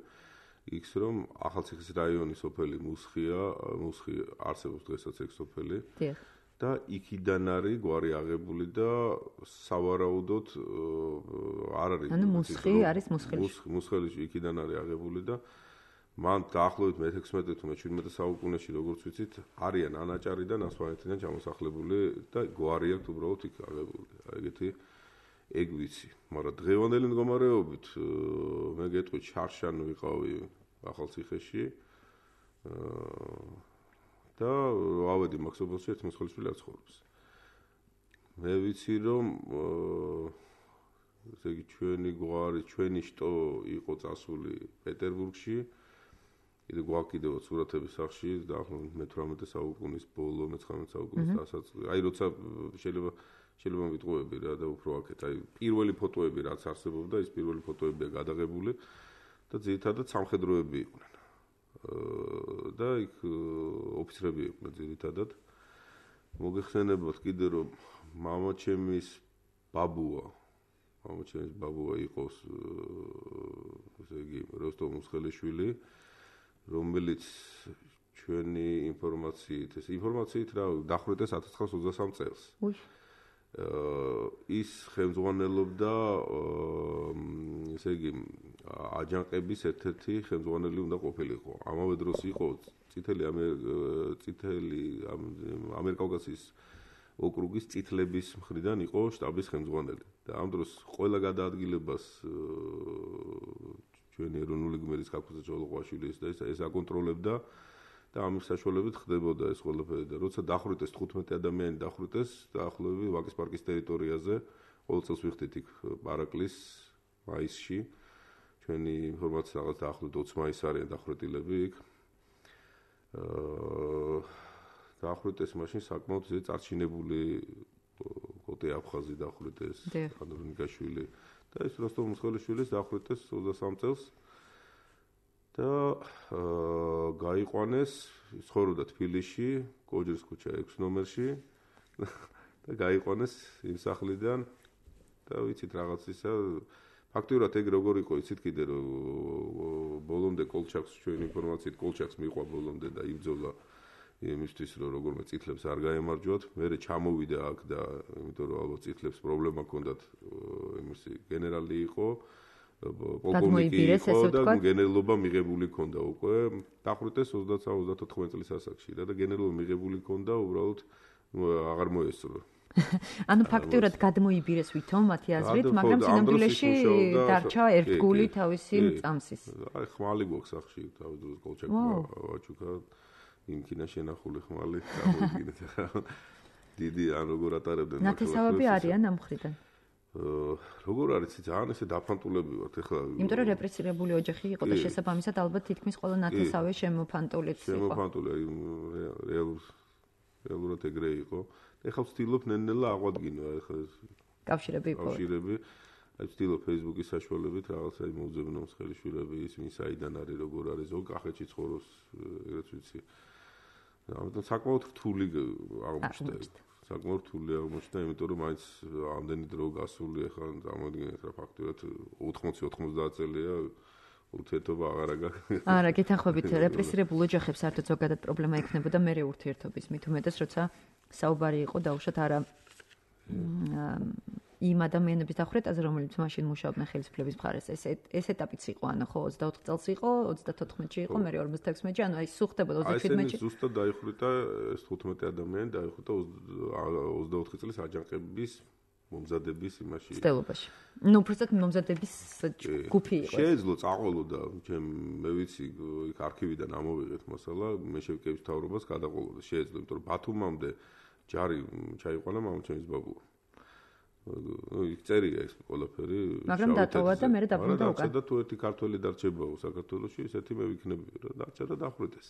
იქს რომ ახალციხის რაიონის სოფელი მუსხია, მუსხი არსებობს დღესაც ეგ სოფელი. დიახ. და იქიდან არის გვარი აღებული და სავარაუდოდ არ არის ანუ მუსხი არის მუსხელიში მუსხელიში იქიდან არის აღებული და მან დაახლოებით მეთექვსმეტე თუ მეჩვიდმეტე საუკუნეში როგორც ვიცით არიან ანაჭარიდან ასვანეთიდან ჩამოსახლებული და გვარი აქვს უბრალოდ იქ აღებული ეგეთი ეგ ვიცი მაგრამ დღევანდელი მდგომარეობით მე გეტყვი ჩარშან ვიყავი ახალციხეში და ავედი მაქსობელში ერთ მოსხელიშვილი არ ცხოვრობს. მე ვიცი რომ ესე იგი ჩვენი გვარი, ჩვენი შტო იყო წასული პეტერბურგში. კიდე გვაქვს კიდევ სურათების სახში დაახლოებით მეთვრამეტე საუკუნის ბოლო, მეცხრამეტე საუკუნის დასაწყისი. აი როცა შეიძლება შეიძლება ვიტყუები რა და უფრო აქეთ. აი პირველი ფოტოები რაც არსებობდა, ის პირველი ფოტოებია გადაღებული და ძირითადად სამხედროები იყვნენ. და იქ ოფიცრები იყვნენ ძირითადად. მოგეხსენებათ კიდე რომ მამაჩემის ბაბუა, მამაჩემის ბაბუა იყოს ესე იგი როსტომ მუსხელიშვილი, რომელიც ჩვენი ინფორმაციით, ეს ინფორმაციით რა დახვრიტეს ათას ცხრაას ოცდასამ წელს. ის ხელმძღვანელობდა ესე იგი აჯანყების ერთ-ერთი ხელმძღვანელი უნდა ყოფილიყო. ამავე დროს იყო წითელი წითელი ამერკავკასიის ოკრუგის წითლების მხრიდან იყო შტაბის ხელმძღვანელი. და ამ დროს ყველა გადაადგილებას ჩვენი ეროვნული გმირის კაკუძე ჯოლოყვაშვილი და ეს აკონტროლებდა და ამის საშუალებით ხდებოდა ეს ყველაფერი და როცა დახვრიტეს თხუთმეტი ადამიანი დახვრიტეს დაახლოებით ვაკის პარკის ტერიტორიაზე ყოველ წელს ვიხდით იქ პარაკლის მაისში ჩვენი ინფორმაცია რაღაც დაახლოებით ოცი მაისს არიან დახვრეტილები იქ აა დახვრიტეს მაშინ საკმაოდ ისე წარჩინებული კოტე აფხაზი დახვრიტეს ანდრონიკაშვილი და ეს როსტომ მუსხელიშვილის დახვრიტეს ოცდასამ წელს და გაიყვანეს, ცხოვრობდა თბილისში, კოჯრის ქუჩა ექვსი ნომერში და გაიყვანეს იმ სახლიდან და ვიცით რაღაც ისა ფაქტიურად ეგ როგორ იყო, იცით კიდე რომ ბოლომდე კოლჩაკს ჩვენი ინფორმაციით კოლჩაკს მიყვა ბოლომდე და იბრძოლა იმისთვის რომ როგორმე წითლებს არ გაემარჯვათ, მერე ჩამოვიდა აქ და იმიტომ რომ ალბათ წითლებს პრობლემა ჰქონდათ იმისი გენერალი იყო პოლკოვნიკი იყო და გენერლობა მიღებული ქონდა უკვე დახვრიტეს ოცდაათს ოცდათოთხმეტ წლის ასაკში და გენერლობა მიღებული ქონდა უბრალოდ აღარ მოესწრო ანუ ფაქტიურად გადმოიბირეს ვითომ მათი აზრით მაგრამ წინამძღოლში დარჩა ერთგული თავისი წამსის აი ხმალი გვაქვს სახში თავის კოლჩაკმა ვაჩუკა იმკინა შენახული ხმალი გამოგიგეთ ახლა დიდი ან როგორ ატარებდნენ ნათესავები არიან ამ მხრიდან როგორ არის ძალიან ესე დაფანტულები ვართ ეხლა იმიტომ რომ რეპრესირებული ოჯახი იყო და შესაბამისად ალბათ თითქმის ყველა ნათესავე შემოფანტულიც იყო შემოფანტული რეალურად ეგრე იყო ეხლა ვცდილობ ნელ-ნელა აღვადგინო ეხლა კავშირები იყო კავშირები აი ვცდილობ Facebook-ის საშუალებით რაღაცა მოუძებნო მსხელიშვილები ისინი საიდან არის როგორ არის ზოგ კახეთში ცხოვრობს ეგრეთ ვიცი ამიტომ საკმაოდ რთული აღმოჩნდა საკმაოდ რთული აღმოჩნდა, იმიტომ რომ მაინც ამდენი დრო გასული ახლა წარმოგიდგენთ რა ფაქტურად ოთხმოცი ოცდაათ წელია ურთიერთობა აღარ აქვს. არა, გეთანხმებით, რეპრესირებულ ოჯახებს საერთოდ ზოგადად პრობლემა ექნებოდა მერე ურთიერთობის, მით უმეტეს როცა საუბარი იყო დაუშვათ არა იმ ადამიანების დახვრეტაზე, რომლებიც მაშინ მუშაობდნენ ხელისუფლების მხარეს. ეს ეს ეტაპიც იყო, ანუ ხო ოცდაოთხ წელს იყო, ოცდათოთხმეტში იყო, მე ორმოცდაექვსმეტში, ანუ აი სულ ხდებოდა ოცდათერთმეტში. აი ეს ზუსტად დაიხვრიტა ეს თხუთმეტი ადამიანი დაიხვრიტა ოცდაოთხი წლის აჯანყების მომზადების იმაში. ცდელობაში. ნუ უბრალოდ მომზადების ჯგუფი იყო. შეეძლო წაყოლოდა, ჩემ მე ვიცი, იქ არქივიდან ამოვიღეთ მასალა, მეშევკევის მთავრობას გადაყოლოდა, შეეძლო, იმიტომ რომ ბათუმამდე ჯარი ჩაიყვანა მამაჩემის ბაბუა. ნუ იქ წერია ეს ყველაფერი. მაგრამ დატოვა და მე დაბრუნდა უკან. და თუ ერთი ქართველი დარჩებაო საქართველოში, ესეთი მე ვიქნები, რა დარჩა და დახვრიტეს.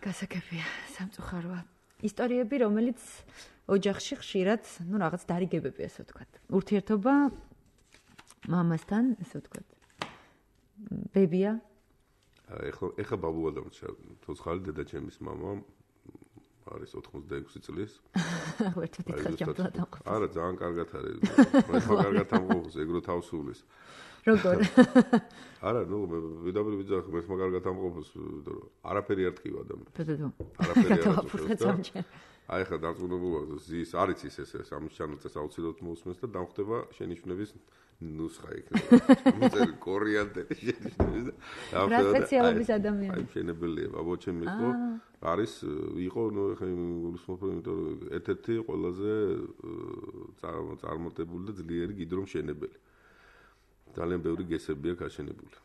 გასაგებია, სამწუხაროა. ისტორიები, რომელიც ოჯახში ხშირად, ну, რაღაც დარიგებები, ასე ვთქვათ. ურთიერთობა მამასთან, ასე ვთქვათ. ბებია. ეხლა ეხლა ბაბუა დამრჩა, თოცხალი დედაჩემის მამა არის ოთხმოცდაექვსი წლის. ვერცად ითხრა ჯამთლა დამყოფს. არა, ძალიან კარგად არის. მე ხო კარგად ამყოფს, ეგრო თავსულის. როგორ? არა, ნუ მე ვიდაბრი ვიძახ, მე ხო კარგად ამყოფს, იმიტომ რომ არაფერი არ ტკივა და მე. ბედო. არაფერი არ ტკივა. აი ხა დარწმუნებული ვარ, ზის არის ის ეს ეს ამის ჩანაწეს აუცილებლად მოусმენს და დამხდება შენიშვნების ნუსხა იქნება. მუწელი კორიანტელი შენიშვნების და რა სპეციალობის ადამიანია? აი შენებელია, ბაბოჩემი იყო, არის იყო, ნუ ხა გულისხმობ, იმიტომ რომ ერთ-ერთი ყველაზე წარმოტებული და ძლიერი გიდრომ შენებელი. ძალიან ბევრი გესები აქვს აშენებული.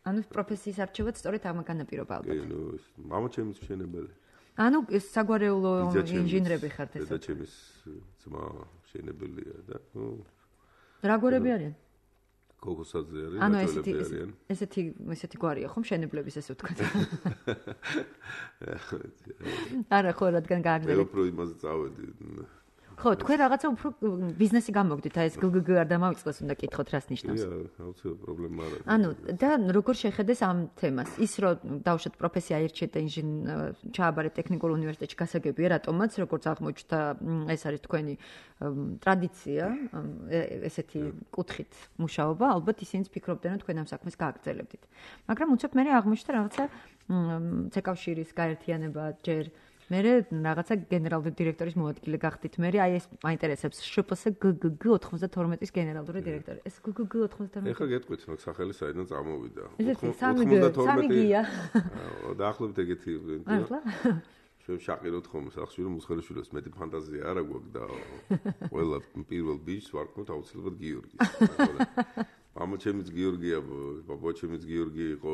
ანუ პროფესიის არჩევაც სწორედ ამაგან აპირობა ალბათ. კი, ნუ მამაჩემის შენებელი. ანუ საგვარეულო ინჟინრები ხართ ესე. დედაჩემის ძმა შენებელია და ნუ რა გვარები არიან? გოგოსაძე არის, ანუ ბაჭოელები არიან. ესეთი ესეთი გვარია ხომ შენებლების ესე ვთქვათ. არა ხო რადგან გააგზავნეთ. მე უფრო იმაზე წავედი. ხო, თქვენ რაღაცა უფრო ბიზნესი გამოგდით, აი ეს გგგ არ დამავიწყდეს, უნდა კითხოთ რას ნიშნავს. კი, აუცილებლად პრობლემა არა. ანუ და როგორ შეხედეს ამ თემას? ის რომ დავუშვათ პროფესია აირჩიეთ და ინჟინ ჩააბარეთ ტექნიკურ უნივერსიტეტში გასაგებია, რატომაც როგორც აღმოჩნდა, ეს არის თქვენი ტრადიცია, ესეთი კუთხით მუშაობა, ალბათ ისინიც ფიქრობდნენ, რომ თქვენ ამ საქმეს გააგრძელებდით. მაგრამ უცებ მე აღმოჩნდა რაღაცა ცეკავშირის გაერთიანება ჯერ მე რაღაცა გენერალური დირექტორის მოადგილე გახდით. მე აი ეს მაინტერესებს შპს გგგ ოთხმოცდათორმეტის გენერალური დირექტორი. ეს გგგ ოთხმოცდათორმეტი. ეხლა გეტყვით, მაგ სახელი საიდან წამოვიდა. ოთხმოცდათორმეტი. დაახლოებით ეგეთი. ახლა ჩვენ შაყიროთ ხომ სახში რომ მუსხელიშვილებს მეტი ფანტაზია არა გვაქვს და ყველა პირველ ბიჭს ვარქმევთ აუცილებლად გიორგის. მამაჩემიც გიორგია, ბაბაჩემიც გიორგი იყო,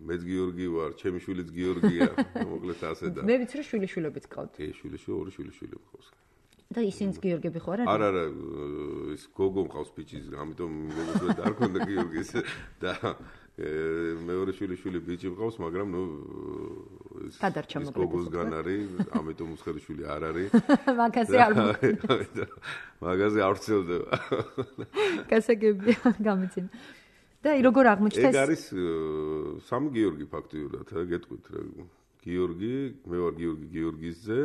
მეც გიორგი ვარ, ჩემი შვილიც გიორგია, მოკლედ ასე და. მე ვიცი რომ შვილიშვილებიც ყავთ. კი, შვილიშვილი, ორი შვილიშვილი მყავს. და ისინიც გიორგები ხო არა? არა, არა, ის გოგო მყავს ბიჭის, ამიტომ გოგოს არ ქონდა გიორგის და მეორე შვილიშვილი ბიჭი მყავს, მაგრამ ნუ ის გოგოსგან არის, ამიტომ მუსხელიშვილი არ არის. მაგაზე არ მოხდა. მაგაზე არ ვცელდება. გასაგებია, გამიცინ. და როგორ აღმოჩნდა ეს? ეგ არის სამი გიორგი ფაქტიურად, გეტყვით რა. გიორგი, მე ვარ გიორგი გიორგისძე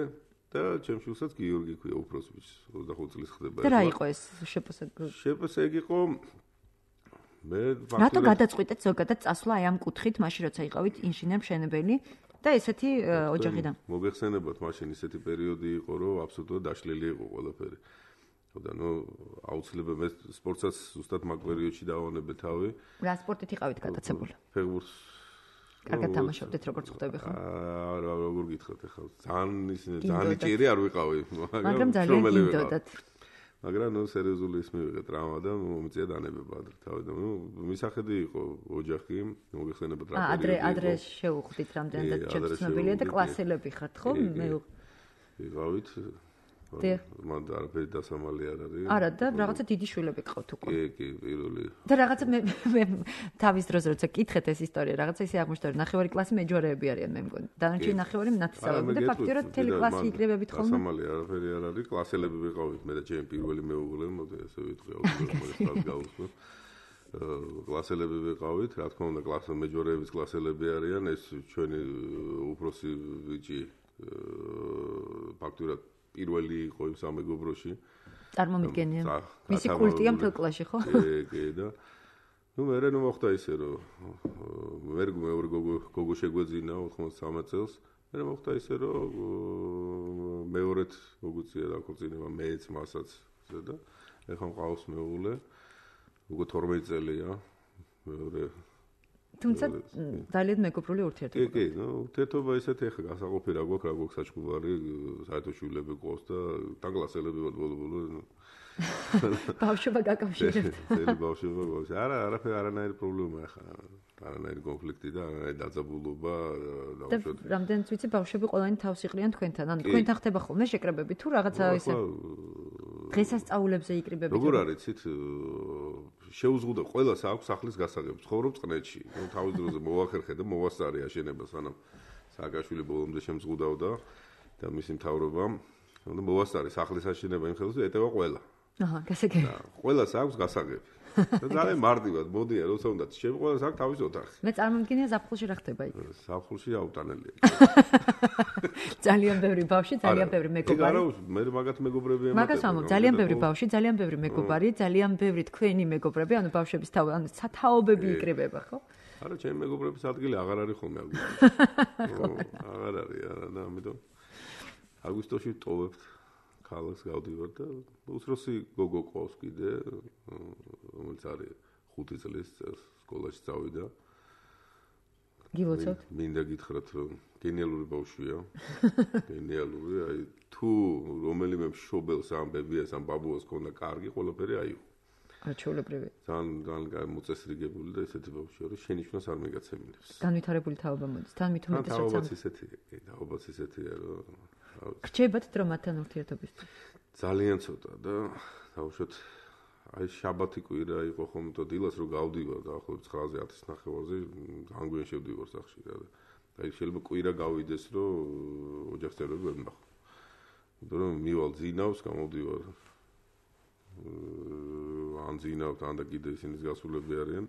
და ჩემ შვილსაც გიორგი ქვია უფროს ბიჭს, ოცდახუთ წლის ხდება. და რა იყო ეს შპს? შპს ეგ იყო მე ფაქტობრივად რატო გადაწყვიტეთ ზოგადად წასვლა აი ამ კუთხით, მაშინ როცა იყავით ინჟინერ მშენებელი და ესეთი ოჯახიდან? მოგეხსენებათ, მაშინ ესეთი პერიოდი იყო, რომ აბსოლუტურად დაშლილი იყო ყველაფერი. და ნუ აუცილებლად მე სპორტსაც ზუსტად მაგ პერიოდში დავანებე თავი. რა სპორტით იყავით გატაცებული? ფეხბურთს. კარგად თამაშობდით, როგორც ხვდები ხო? არა, როგორ გითხრათ ახლა. ძალიან ისინი ძალიან ჭირი არ ვიყავი, მაგრამ ძალიან გინდოდათ. მაგრამ ნუ სერიოზული ის მივიღე ტრავმა და მომწია დანებება ადრე თავი და ნუ მისახედი იყო ოჯახი, მოგეხსენებათ რა პერიოდი. ადრე ადრე შეუხვდით რამდენად შეცნობილია და კლასელები ხართ ხო? მე ვიყავით. მან არაფერი დასამალი არ არის. არა და რაღაცა დიდი შვილები ყავთ უკვე. კი, კი, პირველი. და რაღაცა მე მე თავის დროზე როცა კითხეთ ეს ისტორია, რაღაცა ისე აღმოჩნდა, რომ ნახევარი კლასი მეჯორეები არიან მე მგონი. დანარჩენი ნახევარი ნათესავები და ფაქტიურად მთელი კლასი იკრებებით ხოლმე. დასამალი არაფერი არ არის, კლასელები ვიყავით, მე და ჩემი პირველი მეუღლე, მოდი ასე ვიტყვი, აუცილებლად გავუსმო. კლასელები ვიყავით, რა თქმა უნდა, კლასი მეჯორეების კლასელები არიან, ეს ჩვენი უფროსი ბიჭი ფაქტიურად პირველი იყო იმ სამეგობროში. წარმომიდგენია. მისი კულტია მთელ კლასში, ხო? კი, კი და ნუ მე ნუ მოხდა ისე რომ მე მეორე გოგო გოგო შეგვეძინა ოთხმოცდასამი წელს. მე მოხდა ისე რომ მეორედ მოგუწია დაქორწინება მეც მასაც პოსტზე და ეხლა მყავს მეუღლე უკვე თორმეტი წელია მეორე თუმცა ძალიან მეგობრული ურთიერთობა. კი, კი, ნუ ურთიერთობა ისეთი ახლა გასაყოფი რა გვაქვს, რა გვაქვს საჩქუბარი, საერთო შვილები ყავს და დაგლასელები ვარ ბოლო-ბოლო. ბავშვობა გაკავშირებთ. ძელი ბავშვობა გვაქვს. არა, არაფერი არანაირი პრობლემა ახლა. არანაირი კონფლიქტი და არანაირი დაძაბულობა და რამდენიც ვიცი ბავშვები ყველანი თავს იყრიან თქვენთან. ანუ თქვენთან ხდება ხოლმე შეკრებები თუ რაღაცა ისე დღესასწაულებზე იკრიბებით. როგორ არის იცით შეუზღუდა ყველას აქვს სახლის გასაღები. ცხოვრობ წყნეთში. ნუ თავის დროზე მოვახერხე და მოვასწარე აშენება სანამ სააკაშვილი ბოლომდე შემზღუდავდა და მისი მთავრობამ. და მოვასწარე სახლის აშენება იმ ხელს ეტევა ყველა. აჰა, გასაგები. ყველას აქვს გასაღები. და ძალიან მარტივად მოდიან, როცა უნდა ჩემ ყველას აქვს თავის ოთახი. მე წარმოვიდგენია ზაფხულში რა ხდება იქ. ზაფხულში აუტანელია. ძალიან ბევრი ბავშვი, ძალიან ბევრი მეგობარი. არა, მე მაგათ მეგობრები ემატება. მაგას ვამბობ, ძალიან ბევრი ბავშვი, ძალიან ბევრი მეგობარი, ძალიან ბევრი თქვენი მეგობრები, ანუ ბავშვების თავ, ანუ სათაობები იკრიბება, ხო? არა, ჩემი მეგობრების ადგილი აღარ არის ხოლმე აგვისტოში. აღარ არის, არა, და ამიტომ აგვისტოში ტოვებთ. ქალაქს გავდივარ და უსროსი გოგო ყავს კიდე, რომელიც არის ხუთი წლის სკოლაში წავიდა. გილოცავთ? მინდა გითხრათ, რომ გენიალური ბავშვია. გენიალური, აი თუ რომელიმე მშობელს ამ ბებიას ამ ბაბუას ქონდა კარგი, ყველაფერი აიღო. არჩეულებრივი. ძალიან ძალიან მოწესრიგებული და ესეთი ბავშვია, რომ შენიშვნას არ მიგაცემინებს. განვითარებული თაობა მოდის. თან მით უმეტეს როცა თაობაც ისეთია, კი, თაობაც ისეთია, რომ რჩებათ დრო მათთან ურთიერთობისთვის? ძალიან ცოტა და თავშოთ აი შაბათი კვირა იყო ხოლმე და დილას რო გავდივარ და ახლა ცხრაზე ათის ნახევარზე განგვიან შევდივარ სახში და აი შეიძლება კვირა გავიდეს რომ ოჯახს წევრები ვერ ვნახო. იმიტომ რომ მივალ ძინავს, გამოვდივარ ან ძინავთ ან და კიდე ისინი გასულები არიან.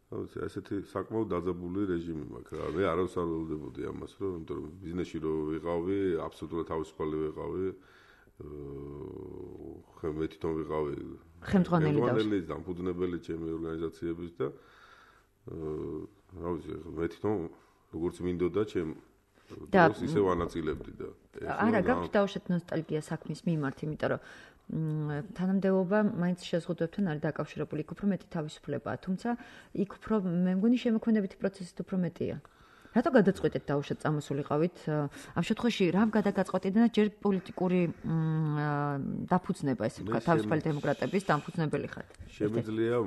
აუცი ესეთი საკმაოდ დაძაბული რეჟიმი მაქვს რა. მე არავის არ ველოდებოდი ამას, რომ იმიტომ რომ ბიზნესში რო ვიყავი, აბსოლუტურად თავისუფალი ვიყავი. ხე მე თვითონ ვიყავი ხელმძღვანელი და დამფუძნებელი ჩემი ორგანიზაციების და რა ვიცი, მე თვითონ როგორც მინდოდა ჩემ დროს ისე ვანაწილებდი და არა, გაქვთ დავუშვათ ნოსტალგია საქმის მიმართ, იმიტომ რომ თანამდებობა მაინც შეზღუდვებთან არის დაკავშირებული, იქ უფრო მეტი თავისუფლებაა, თუმცა იქ უფრო მე მგონი შემოქმედებითი პროცესით უფრო მეტია. რატო გადაწყვეტეთ დავუშვათ წამოსულიყავით? ამ შემთხვევაში რამ გადაგაწყვეტეთ და ჯერ პოლიტიკური დაფუძნება, ესე ვთქვა, თავისუფალი დემოკრატების დამფუძნებელი ხართ? შემიძლია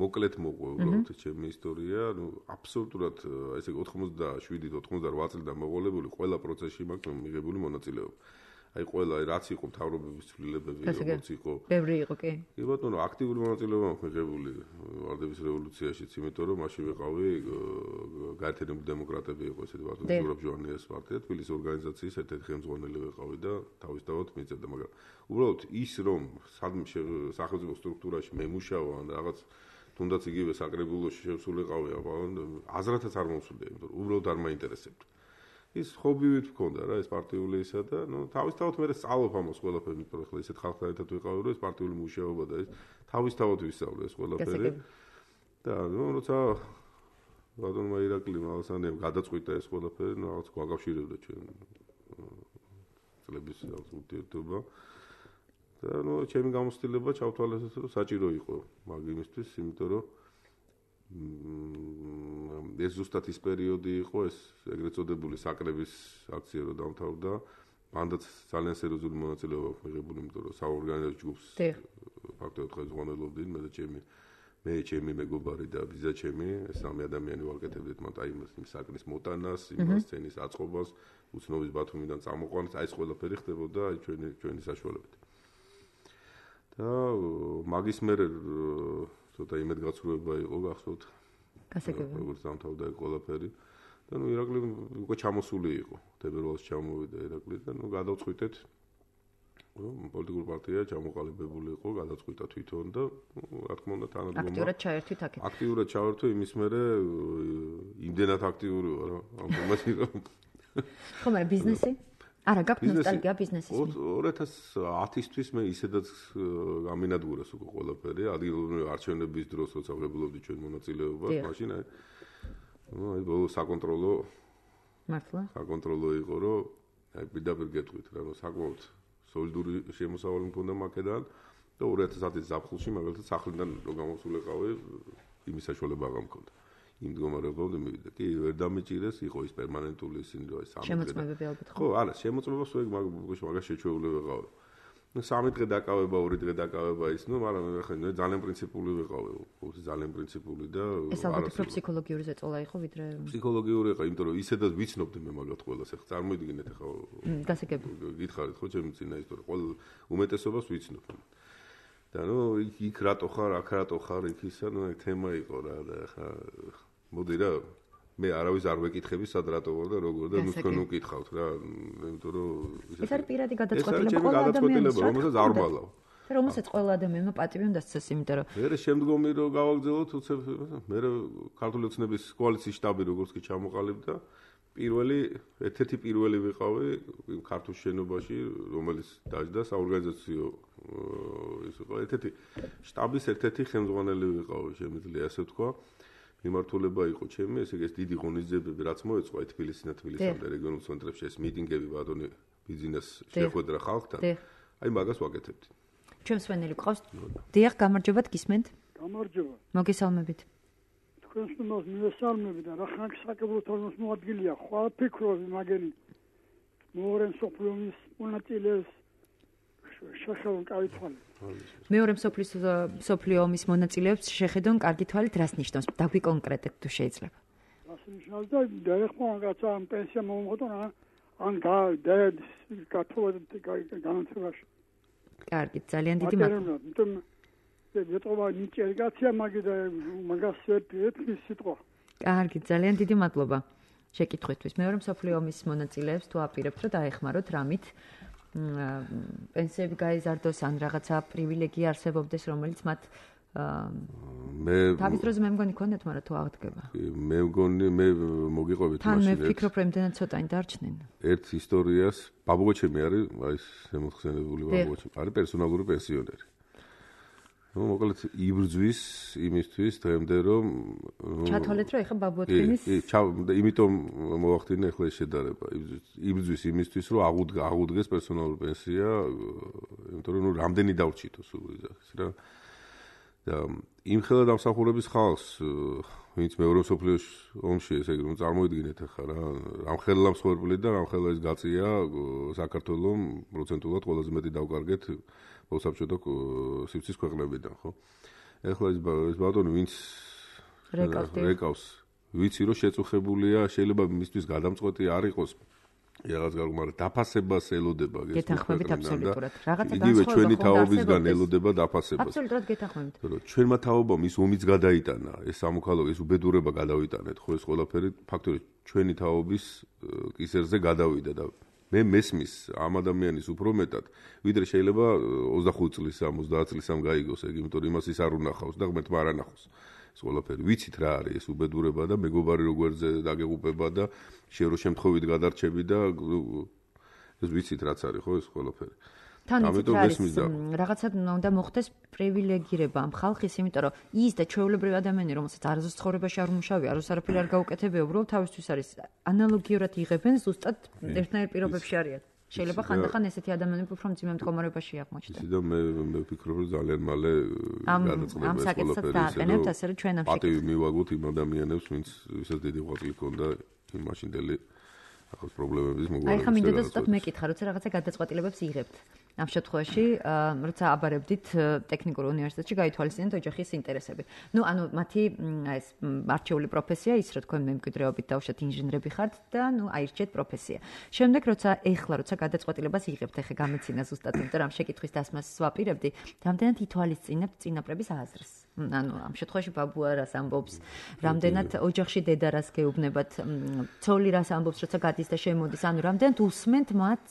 მოკლედ მოყვე უბრალოდ ჩემი ისტორია, ნუ აბსოლუტურად ესე ოცდაშვიდი ოცდაოთხ წლიდან მოყოლებული ყველა პროცესში მაქვს მიღებული მონაწილეობა. აი ყველა რაც იყო მთავრობების ცვლილებები, როგორც იყო. ბევრი იყო, კი. კი ბატონო, აქტიური მონაწილეობა მაქვს მიღებული ვარდების რევოლუციაშიც, იმიტომ რომ მაშინ ვიყავი გაერთიანებული დემოკრატები იყო ესეთი ბატონო ზურაბ ჟვანიას პარტია, თბილისის ორგანიზაციის ერთ-ერთი ხელმძღვანელი ვიყავი და თავისთავად მიწევდა, მაგრამ უბრალოდ ის რომ სადმე სახელმწიფო სტრუქტურაში მე მუშაობ ან რაღაც თუნდაც იგივე საკრებულოში შევსულიყავი, აზრათაც არ მომსვლია, იმიტომ რომ უბრალოდ არ მაინტერესებდა. ის ხობივით მქონდა რა ეს პარტიული ისა და ნუ თავისთავად მე სწავლობ ამას ყველაფერი, იმიტომ რომ ხლა ისეთ ხალხთან ერთად ვიყავი, რომ ეს პარტიული მუშაობა და ეს თავისთავად ვისწავლე ეს ყველაფერი. და ნუ როცა ბატონმა ირაკლი მალსანიამ გადაწყვიტა ეს ყველაფერი, ნუ რაღაც გვაკავშირებდა ჩვენ წლების ურთიერთობა. და ნუ ჩემი გამოცდილება ჩავთვალეს, რომ საჭირო იყო მაგ იმისთვის, იმიტომ რომ ეს ზუსტად ის პერიოდი იყო, ეს ეგრეთ წოდებული საკრების აქცია რო დამთავრდა. მანდაც ძალიან სერიოზული მონაწილეობა აქვს მიღებული, იმიტომ რომ საორგანიზაციო ჯგუფს ფაქტობრივად ხელმძღვანელობდნენ მე და ჩემი მე ჩემი მეგობარი და ბიზა ჩემი, ეს სამი ადამიანი ვაკეთებდით მათ აი იმ საკრის მოტანას, იმ სცენის აწყობას, უცნობის ბათუმიდან წამოყვანას, აი ეს ყველაფერი ხდებოდა აი ჩვენი ჩვენი საშუალებით. და მაგის მერე ცოტა იმედგაცრუება იყო გახსოვთ. გასაგებია. როგორც დამთავრდა ეს ყველაფერი. და ნუ ირაკლი უკვე ჩამოსული იყო. თებერვალს ჩამოვიდა ირაკლი და ნუ გადავწყვიტეთ რომ პოლიტიკური პარტია ჩამოყალიბებული იყო, გადაწყვიტა თვითონ და რა თქმა უნდა თანადგომა. აქტიურად ჩაერთვით აქეთ. აქტიურად ჩავერთვე იმის მერე იმდენად აქტიური ვარ ამ თემაში რომ ხო, მაგრამ ბიზნესი? არა, გაქვთ ნოსტალგია ბიზნესის? ორი ათას ათისთვის მე ისედაც გამინადგურეს უკვე ყველაფერი, ადგილობრივი არჩევნების დროს როცა ვღებულობდი ჩვენ მონაწილეობას, მაშინ აი ნუ აი ბოლო საკონტროლო მართლა? საკონტროლო იყო, რომ აი პირდაპირ გეტყვით რა, საკმაოდ სოლიდური შემოსავალი მქონდა მაქედან და ორი ათას ათი ზაფხულში მაგალითად სახლიდან რო გამოსულიყავი იმის საშუალება აღარ მქონდა. იმ მდგომარეობამდე მივიდა. კი, ვერ დამეჭირეს, იყო ის პერმანენტული ისინი რო აი სამი დღე. შემოწმებები ალბათ ხო? ხო, არა, შემოწმება სულ მაგას შეჩვეული ვიყავი. ნუ სამი დღე დაკავება, ორი დღე დაკავება ის, ნუ მაგრამ ხა ძალიან პრინციპული ვიყავი, ძალიან პრინციპული და ეს ალბათ უფრო ფსიქოლოგიური ზეწოლა იყო ვიდრე ფსიქოლოგიური იყო, იმიტომ რომ ისედაც ვიცნობდი მე მაგათ ყველას, ეხლა წარმოიდგინეთ ეხლა გასაგები. გითხარით ხო ჩემი წინა ისტორია, ყოველ უმეტესობას ვიცნობ. და ნუ იქ რატო ხარ, აქ რატო ხარ, იქ ისა, ნუ თემა იყო რა და ეხლა მოდი რა მე არავის არ ვეკითხები სად რატო ვარ და როგორ და ნუ თქვენ უკითხავთ რა, იმიტომ რომ ეს არის პირადი გადაწყვეტილება ყველა ადამიანის, რომელსაც არ ვალავ. და რომელსაც ყველა ადამიანმა პატივი უნდა სცეს, იმიტომ რომ მე შემდგომი რო გავაგზავნოთ, უცებ მე ქართული ოცნების კოალიციის შტაბი როგორც კი ჩამოყალიბდა, პირველი ერთ-ერთი პირველი ვიყავი ქართულ შენობაში, რომელიც დაждდა საორგანიზაციო ის იყო ერთ-ერთი შტაბის ერთ-ერთი ხელმძღვანელი ვიყავი, შემიძლია ასე ვთქვა. მიმართულება იყო ჩემი, ესე იგი ეს დიდი ღონისძიებები რაც მოეწყო აი თბილისიდან თბილისამდე რეგიონულ ცენტრებში ეს მიტინგები ბატონი ბიზნეს შეხვედრა ხალხთან. აი მაგას ვაკეთებდი. ჩვენს ვენელი ყავს. დიახ, გამარჯობათ, გისმენთ? გამარჯობა. მოგესალმებით. თქვენს ნომერს მივესალმები და რა ხანს საკუთრების მოადგილეა, ხვალ ფიქრობი მაგენი. მეორე მსოფლიო ომის მონაწილეს შეხედონ კარგი თვალი. მეორე მსოფლიო ომის მონაწილეებს შეხედონ კარგი თვალით, რას ნიშნავს? დაგვიკონკრეტეთ თუ შეიძლება. რას ნიშნავს და დაეხმო რაღაცა პენსია მომღოდონ ან და და კათოლიკე განათებაში. კარგი, ძალიან დიდი მადლობა. იმიტომ ვეტყობა ნიჭერგაცია მაგი და მაგას ერთის სიტყვა. კარგი, ძალიან დიდი მადლობა შეკითხვისთვის. მეორე მსოფლიო ომის მონაწილეებს თუ აპირებთ რომ დაეხმაროთ რამით პენსიები გაიზარდოს ან რაღაცა პრივილეგია არსებობდეს, რომელიც მათ მე თავის დროზე მე მგონი ქონდეთ, მაგრამ თუ აღდგება. მე მგონი მე მოგიყვებით მაშინ. თან მე ვფიქრობ, რომ იმდენად ცოტანი დარჩნენ. ერთ ისტორიას ბაბუგოჩემი არის, აი ეს შემოხსენებული ბაბუგოჩემი, არის პერსონალური პენსიონერი. ნუ მოკლედ იბრძვის იმისთვის დღემდე რომ ჩათვალეთ რომ ეხა ბაბუოთქინის იმიტომ მოახდინე ახლა ეს შედარება იბრძვის იმისთვის რომ აღუდგა აღუდგეს პერსონალური პენსია იმიტომ რომ ნუ რამდენი დავრჩითო სულ ის რა და იმ ხელა დამსახურების ხალხს ვინც მეორე მსოფლიო ომში ესე იგი რომ წარმოიდგინეთ ახლა რა რამ ხელა მსხვერპლი და რამ ხელა ის გაწია საქართველოს პროცენტულად ყველაზე მეტი დავკარგეთ მოსაბჭოთა სივრცის ქვეყნებიდან, ხო? ეხლა ეს ეს ბატონი ვინც რეკავს, ვიცი რომ შეწუხებულია, შეიძლება მისთვის გადამწყვეტი არ იყოს. რაღაც გარკვეულ, მაგრამ დაფასებას ელოდება გეთანხმებით აბსოლუტურად. რაღაცა განსხვავება იგივე ჩვენი თაობისგან ელოდება დაფასებას. აბსოლუტურად გეთანხმებით. რომ ჩვენმა თაობამ ის ომიც გადაიტანა, ეს სამოქალაქო ეს უბედურება გადავიტანეთ, ხო ეს ყველაფერი ფაქტორი ჩვენი თაობის კისერზე გადავიდა და მე მესმის ამ ადამიანის უფრო მეტად, ვიდრე შეიძლება ოცდახუთი წლის, ოცდაათ წლის ამ გაიგოს, ეგ იმიტომ რომ იმას ის არ უნახავს და ღმერთმა არ ანახავს. ეს ყველაფერი ვიცით რა არის ეს უბედურება და მეგობარი როგორზე დაგეღუპება და შენ რო შემთხვევით გადარჩები და ეს ვიცით რაც არის ხო ეს ყველაფერი. თან ის რაღაცა უნდა მოხდეს პრივილეგირება ამ ხალხის, იმიტომ რომ ის და ჩვეულებრივი ადამიანი, რომელსაც არასდროს ცხოვრებაში არ უმუშავია, არასდროს არაფერი არ გაუკეთებია, უბრალოდ თავისთვის არის ანალოგიურად იღებენ, ზუსტად ერთნაირ პირობებში არიან. შეიძლება ხანდახან ესეთი ადამიანები უფრო მძიმე მდგომარეობაში აღმოჩნდეს. ისე და მე მე ვფიქრობ, რომ ძალიან მალე გადაწყდება ამ საკითხსაც დააყენებთ, ასე რომ ჩვენ ამ პატივი მივაგოთ იმ ადამიანებს, ვინც ვისაც დიდი ღვაწლი ჰქონდა იმ მაშინდელი ახალ პრობლემების მოგვარებით. აი ხა მინდა და ზუსტად მეკითხა, როცა რაღაცა გადაწყვეტილებებს იღებთ. ამ შემთხვევაში, როცა აბარებდით ტექნიკურ უნივერსიტეტში გაითვალისწინეთ ოჯახის ინტერესები. ნუ ანუ მათი ეს არჩეული პროფესია ის, რომ თქვენ მემკვიდრეობით დაუშვათ ინჟინრები ხართ და ნუ აირჩიეთ პროფესია. შემდეგ როცა ეხლა როცა გადაწყვეტილებას იღებთ, ეხა გამეცინა ზუსტად, იმიტომ რომ ამ შეკითხვის დასმას ვაპირებდი, რამდენად ითვალისწინებთ წინაპრების აზრს. ანუ ამ შემთხვევაში ბაბუა რას ამბობს, რამდენად ოჯახში დედა რას გეუბნებათ, ცოლი რას ამბობს, როცა გადის და შემოდის, ანუ რამდენად უსმენთ მათ,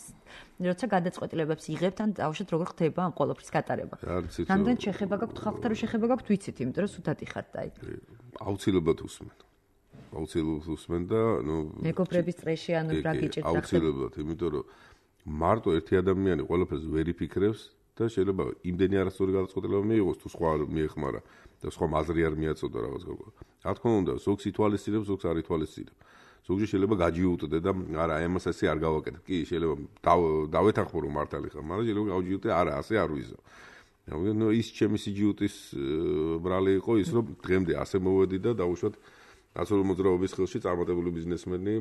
როცა გადაწყვეტილებებს იღებთ, ან დაუშვათ როგორ ხდება ამ ყოველფრის გატარება. რამდენად შეხება გაქვთ ხალხთან, რომ შეხება გაქვთ, ვიცით, იმიტომ რომ სუდადი ხართ, აი. აუცილებლად უსმენ. აუცილებლად usmen და ნუ მეგობრების წრეში ანუ რა გიჭირდა ხდება აუცილებლად, იმიტომ რომ მარტო ერთი ადამიანი ყველაფერს ვერ იფიქრებს და შეიძლება იმდენი არასწორი გადაწყვეტილება მიიღოს თუ სხვა მიეხმარა და სხვა მაზრი არ მიაწოდა რაღაც გოგო. რა თქმა უნდა, ზოგს ითვალისწინებს, ზოგს არ ითვალისწინებს. ზოგჯერ შეიძლება გაჯიუტდე და არა, აი ამას ასე არ გავაკეთებ. კი, შეიძლება დავეთანხმო რომ მართალი ხარ, მაგრამ შეიძლება გავჯიუტდე, არა, ასე არ ვიზო. ნუ ის ჩემი სიჯიუტის ბრალი იყო ის რომ დღემდე ასე მოვედი და დაუშვათ ნაცნობი მოძრაობის ხელში წარმატებული ბიზნესმენი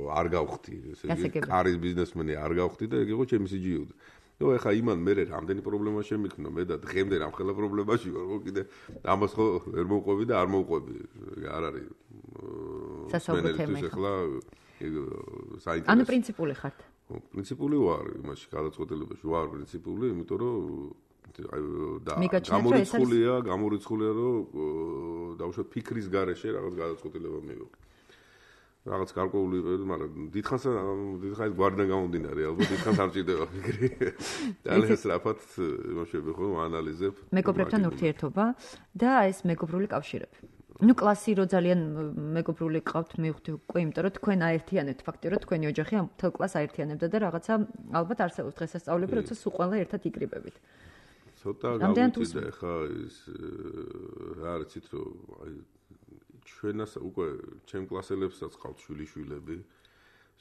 არ გავხდი, ესე იგი კარის ბიზნესმენი არ გავხდი და ეგ იყო ჩემი სიჯიუტი. ნუ ეხა იმან მე რამდენი პრობლემა შემიქნა მე და დღემდე რამხელა პრობლემაში ვარ, ხო კიდე ამას ხო ვერ მოვყვები და არ მოვყვები. არ არის სასწაული თემა ეხლა საინტერესო. ანუ პრინციპული ხართ? პრინციპული ვარ იმაში გადაწყვეტილებაში ვარ პრინციპული, იმიტომ რომ და მიგაჩნიათ, რომ ეს არის- გამორიცხულია, გამორიცხულია რომ დაუშვათ ფიქრის გარეშე რაღაც გადაწყვეტილება მივიღო. რაღაც გარკვეული, მაგრამ დიდხანს დიდხანს გვარდან გამომდინარე, ალბათ დიდხანს არ ჭირდება ფიქრი. ძალიან სწრაფად იმაშები ხო ანალიზებ. მეგობრებთან ურთიერთობა და ეს მეგობრული კავშირები. ნუ კლასი რო ძალიან მეგობრული ყავთ მივხვდი უკვე, იმიტომ რომ თქვენ აერთიანებთ ფაქტიურად თქვენი ოჯახი ამ თელ კლასს აერთიანებდა და რაღაცა ალბათ არსებობს დღესასწაულები, როცა სულ ყველა ერთად იკრიბებით. ცოტა გავუწევდა ხა ის რა არიცით რომ აი ჩვენას უკვე ჩემ კლასელებსაც ყავთ შვილიშვილები,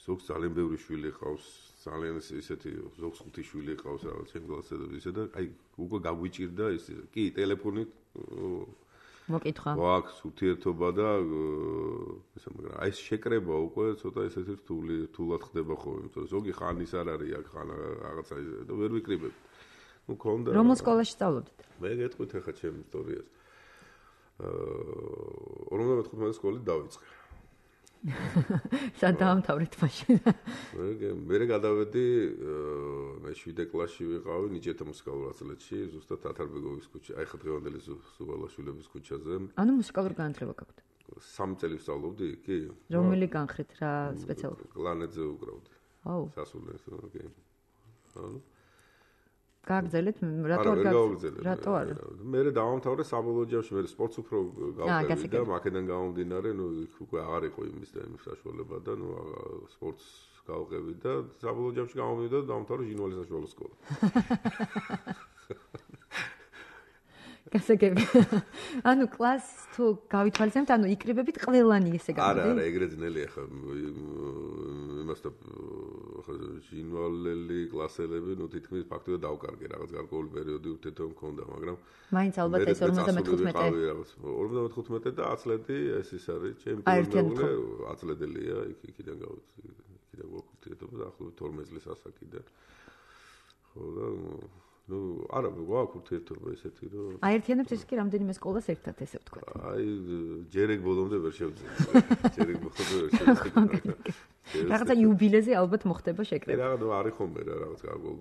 ზოგს ძალიან ბევრი შვილი ყავს, ძალიან ისეთი ზოგს ხუთი შვილი ყავს რაღაც ჩემ კლასელებს ისე და აი უკვე გაგვიჭირდა ის კი ტელეფონით მოკითხა. გვაქვს ურთიერთობა და ისე მაგრამ აი ეს შეკრება უკვე ცოტა ისეთი რთული რთულად ხდება ხო, იმიტომ ზოგი ხანის არ არის აქ ხან რაღაცა და ვერ ვიკრიბებ. ნუ ქონდა რომელ სკოლაში სწავლობდით? მე გეტყვით ახლა ჩემ ისტორიას. ორმოცდა მეთხუთმეტე სკოლით დავიწყე. სად დაამთავრეთ მაშინ? მე მე გადავედი მე შვიდე კლასში ვიყავი ნიჭითა მუსიკალურ ათწლედში, ზუსტად ათარბეგოვის ქუჩა, აი ხა დღევანდელი სუბალაშვილების ქუჩაზე. ანუ მუსიკალური განათლება გაქვთ? სამი წელი ვსწავლობდი, კი. რომელი განხრით რა სპეციალურად? კლანეტზე უკრავდი. აუ. სასულიერო, კი. ანუ გააგზელეთ რატო არ გააგზელეთ? რატო არა? მე დავამთავრე საბოლოო ჯამში, მე სპორტს უფრო გავყევი და მაკედან გამომდინარე, ნუ უკვე აღარ იყო იმის და იმის საშუალება და ნუ სპორტს გავყევი და საბოლოო ჯამში გამომივიდა და დავამთავრე ჟინვალის საშუალო სკოლა. გასაგები. ანუ კლასს თუ გავითვალისწინებთ, ანუ იკრიბებით ყველანი ესე გამოდი? არა, არა, ეგრე ძნელია ხა იმასთან ხა ჟინვალელი კლასელები, ნუ თითქმის ფაქტობრივად დავკარგე რაღაც გარკვეული პერიოდი ურთიერთობა მქონდა, მაგრამ მაინც ალბათ ეს ორმოცდა მეთხუთმეტე ორმოცდა მეთხუთმეტე და ათწლედი ეს ის არის, ჩემპიონი ათწლედელია, იქ იქიდან გავიცი, იქიდან გვაქვს ურთიერთობა და ახლობით თორმეტ წლის ასაკი და ხო და ნუ არა გვაქვს ურთიერთობა ესეთი რომ აერთიანებთ ეს კი რამდენიმე სკოლას ერთად ესე ვთქვათ. აი ჯერეგ ბოლომდე ვერ შევძლებთ. ჯერეგ ბოლომდე ვერ შევძლებთ. რაღაცა იუბილეზე ალბათ მოხდება შეკრება. რაღაც არის ხომე რა რაღაც გარკვეულ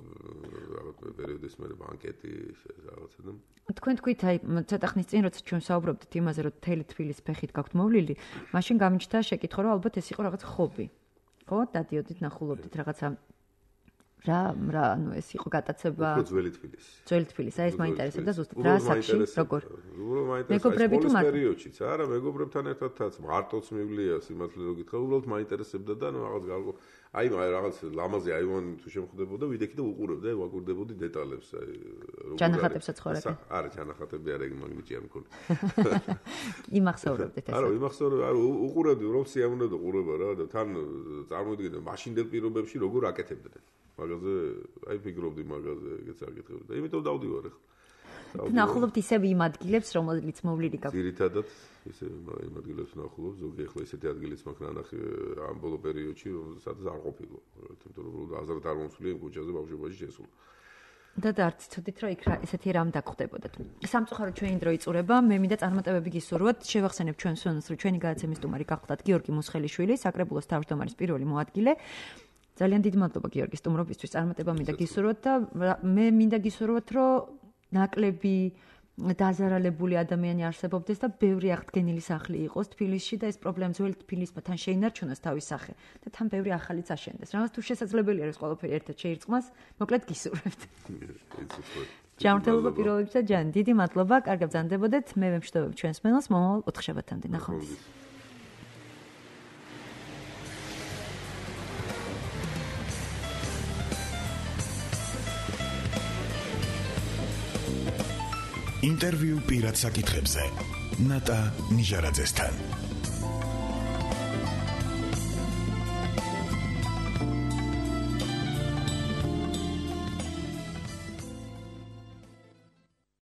რაღაც პერიოდის მერე ბანკეტი რაღაცა და თქვენ თქვით აი ცოტა ხნის წინ როცა ჩვენ საუბრობდით იმაზე რომ თელი თბილის ფეხით გაქვთ მოვლილი, მაშინ გამიჩნდა შეკითხვა რომ ალბათ ეს იყო რაღაც ხობი. ხო, დადიოდით ნახულობდით რაღაცა რა რა ანუ ეს იყო გატაცება ძველი თბილისი ძველი თბილისი აი ეს მაინტერესებდა ზუსტად რა საქმე როგორ მეგობრები თუ მათ პერიოდშიც არა მეგობრებთან ერთადაც მარტოც მივლია სიმართლე რო გითხრა უბრალოდ მაინტერესებდა და ნუ რაღაც გარკვეულ აი რაღაც ლამაზი აივანი თუ შემხვდებოდა ვიდექი და უყურებდა ვაკურდებოდი დეტალებს აი როგორ ჯანახატებსაც ხორები არა ჯანახატები არა ეგ მაგნიჭი არ მქონდა იმახსოვრებდეთ ეს არა იმახსოვრებ არა უყურებდი რომ სიამოვნებდა ყურება რა და თან წარმოიდგინე მაშინდელ პირობებში როგორ აკეთებდნენ მაგაზე აი ფიქრობდი მაგაზე ეგეც აკეთებდი და იმიტომ დავდივარ ახლა ნახულობთ ისევ იმ ადგილებს რომელიც მოვლილი გაქვს ძირითადად ისე იმ ადგილებს ნახულობ ზოგი ახლა ისეთი ადგილიც მაქვს ნანახი ამ ბოლო პერიოდში სადაც არ ყოფილა თუმცა რომ აზრად არ მომსვლია იმ ქუჩაზე ბავშვობაში შესულ და დარც ცოდით რომ იქ ესეთი რამ დაგხვდებოდათ სამწუხაროდ ჩვენი დრო იწურება მე მინდა წარმატებები გისურვოთ შევახსენებ ჩვენ სვენოს რომ ჩვენი გადაცემის სტუმარი გახლდათ გიორგი მუსხელიშვილი საკრებულოს თავმჯდომარის პირველი მოადგილე ძალიან დიდი მადლობა გიორგი სტუმრობისთვის წარმატება მინდა გისურვოთ და მე მინდა გისურვოთ რომ ნაკლები დაზარალებული ადამიანი არსებობდეს და ბევრი აღდგენილი სახლი იყოს თბილისში და ეს პრობლემა ძველი თბილისმა თან შეინარჩუნოს თავის სახე და თან ბევრი ახალიც აშენდეს. რაღაც თუ შესაძლებელია ეს ყველაფერი ერთად შეირწყმას, მოკლედ გისურვებთ. ჯანმრთელობა პიროვნებისა ჯან, დიდი მადლობა, კარგად ბრძანდებოდეთ. მე ვემშვიდობებ ჩვენს მელოს მომავალ ოთხშაბათამდე. ნახვამდის. ინტერვიუ პირად საკითხებზე ნატა ნიჟარაძესთან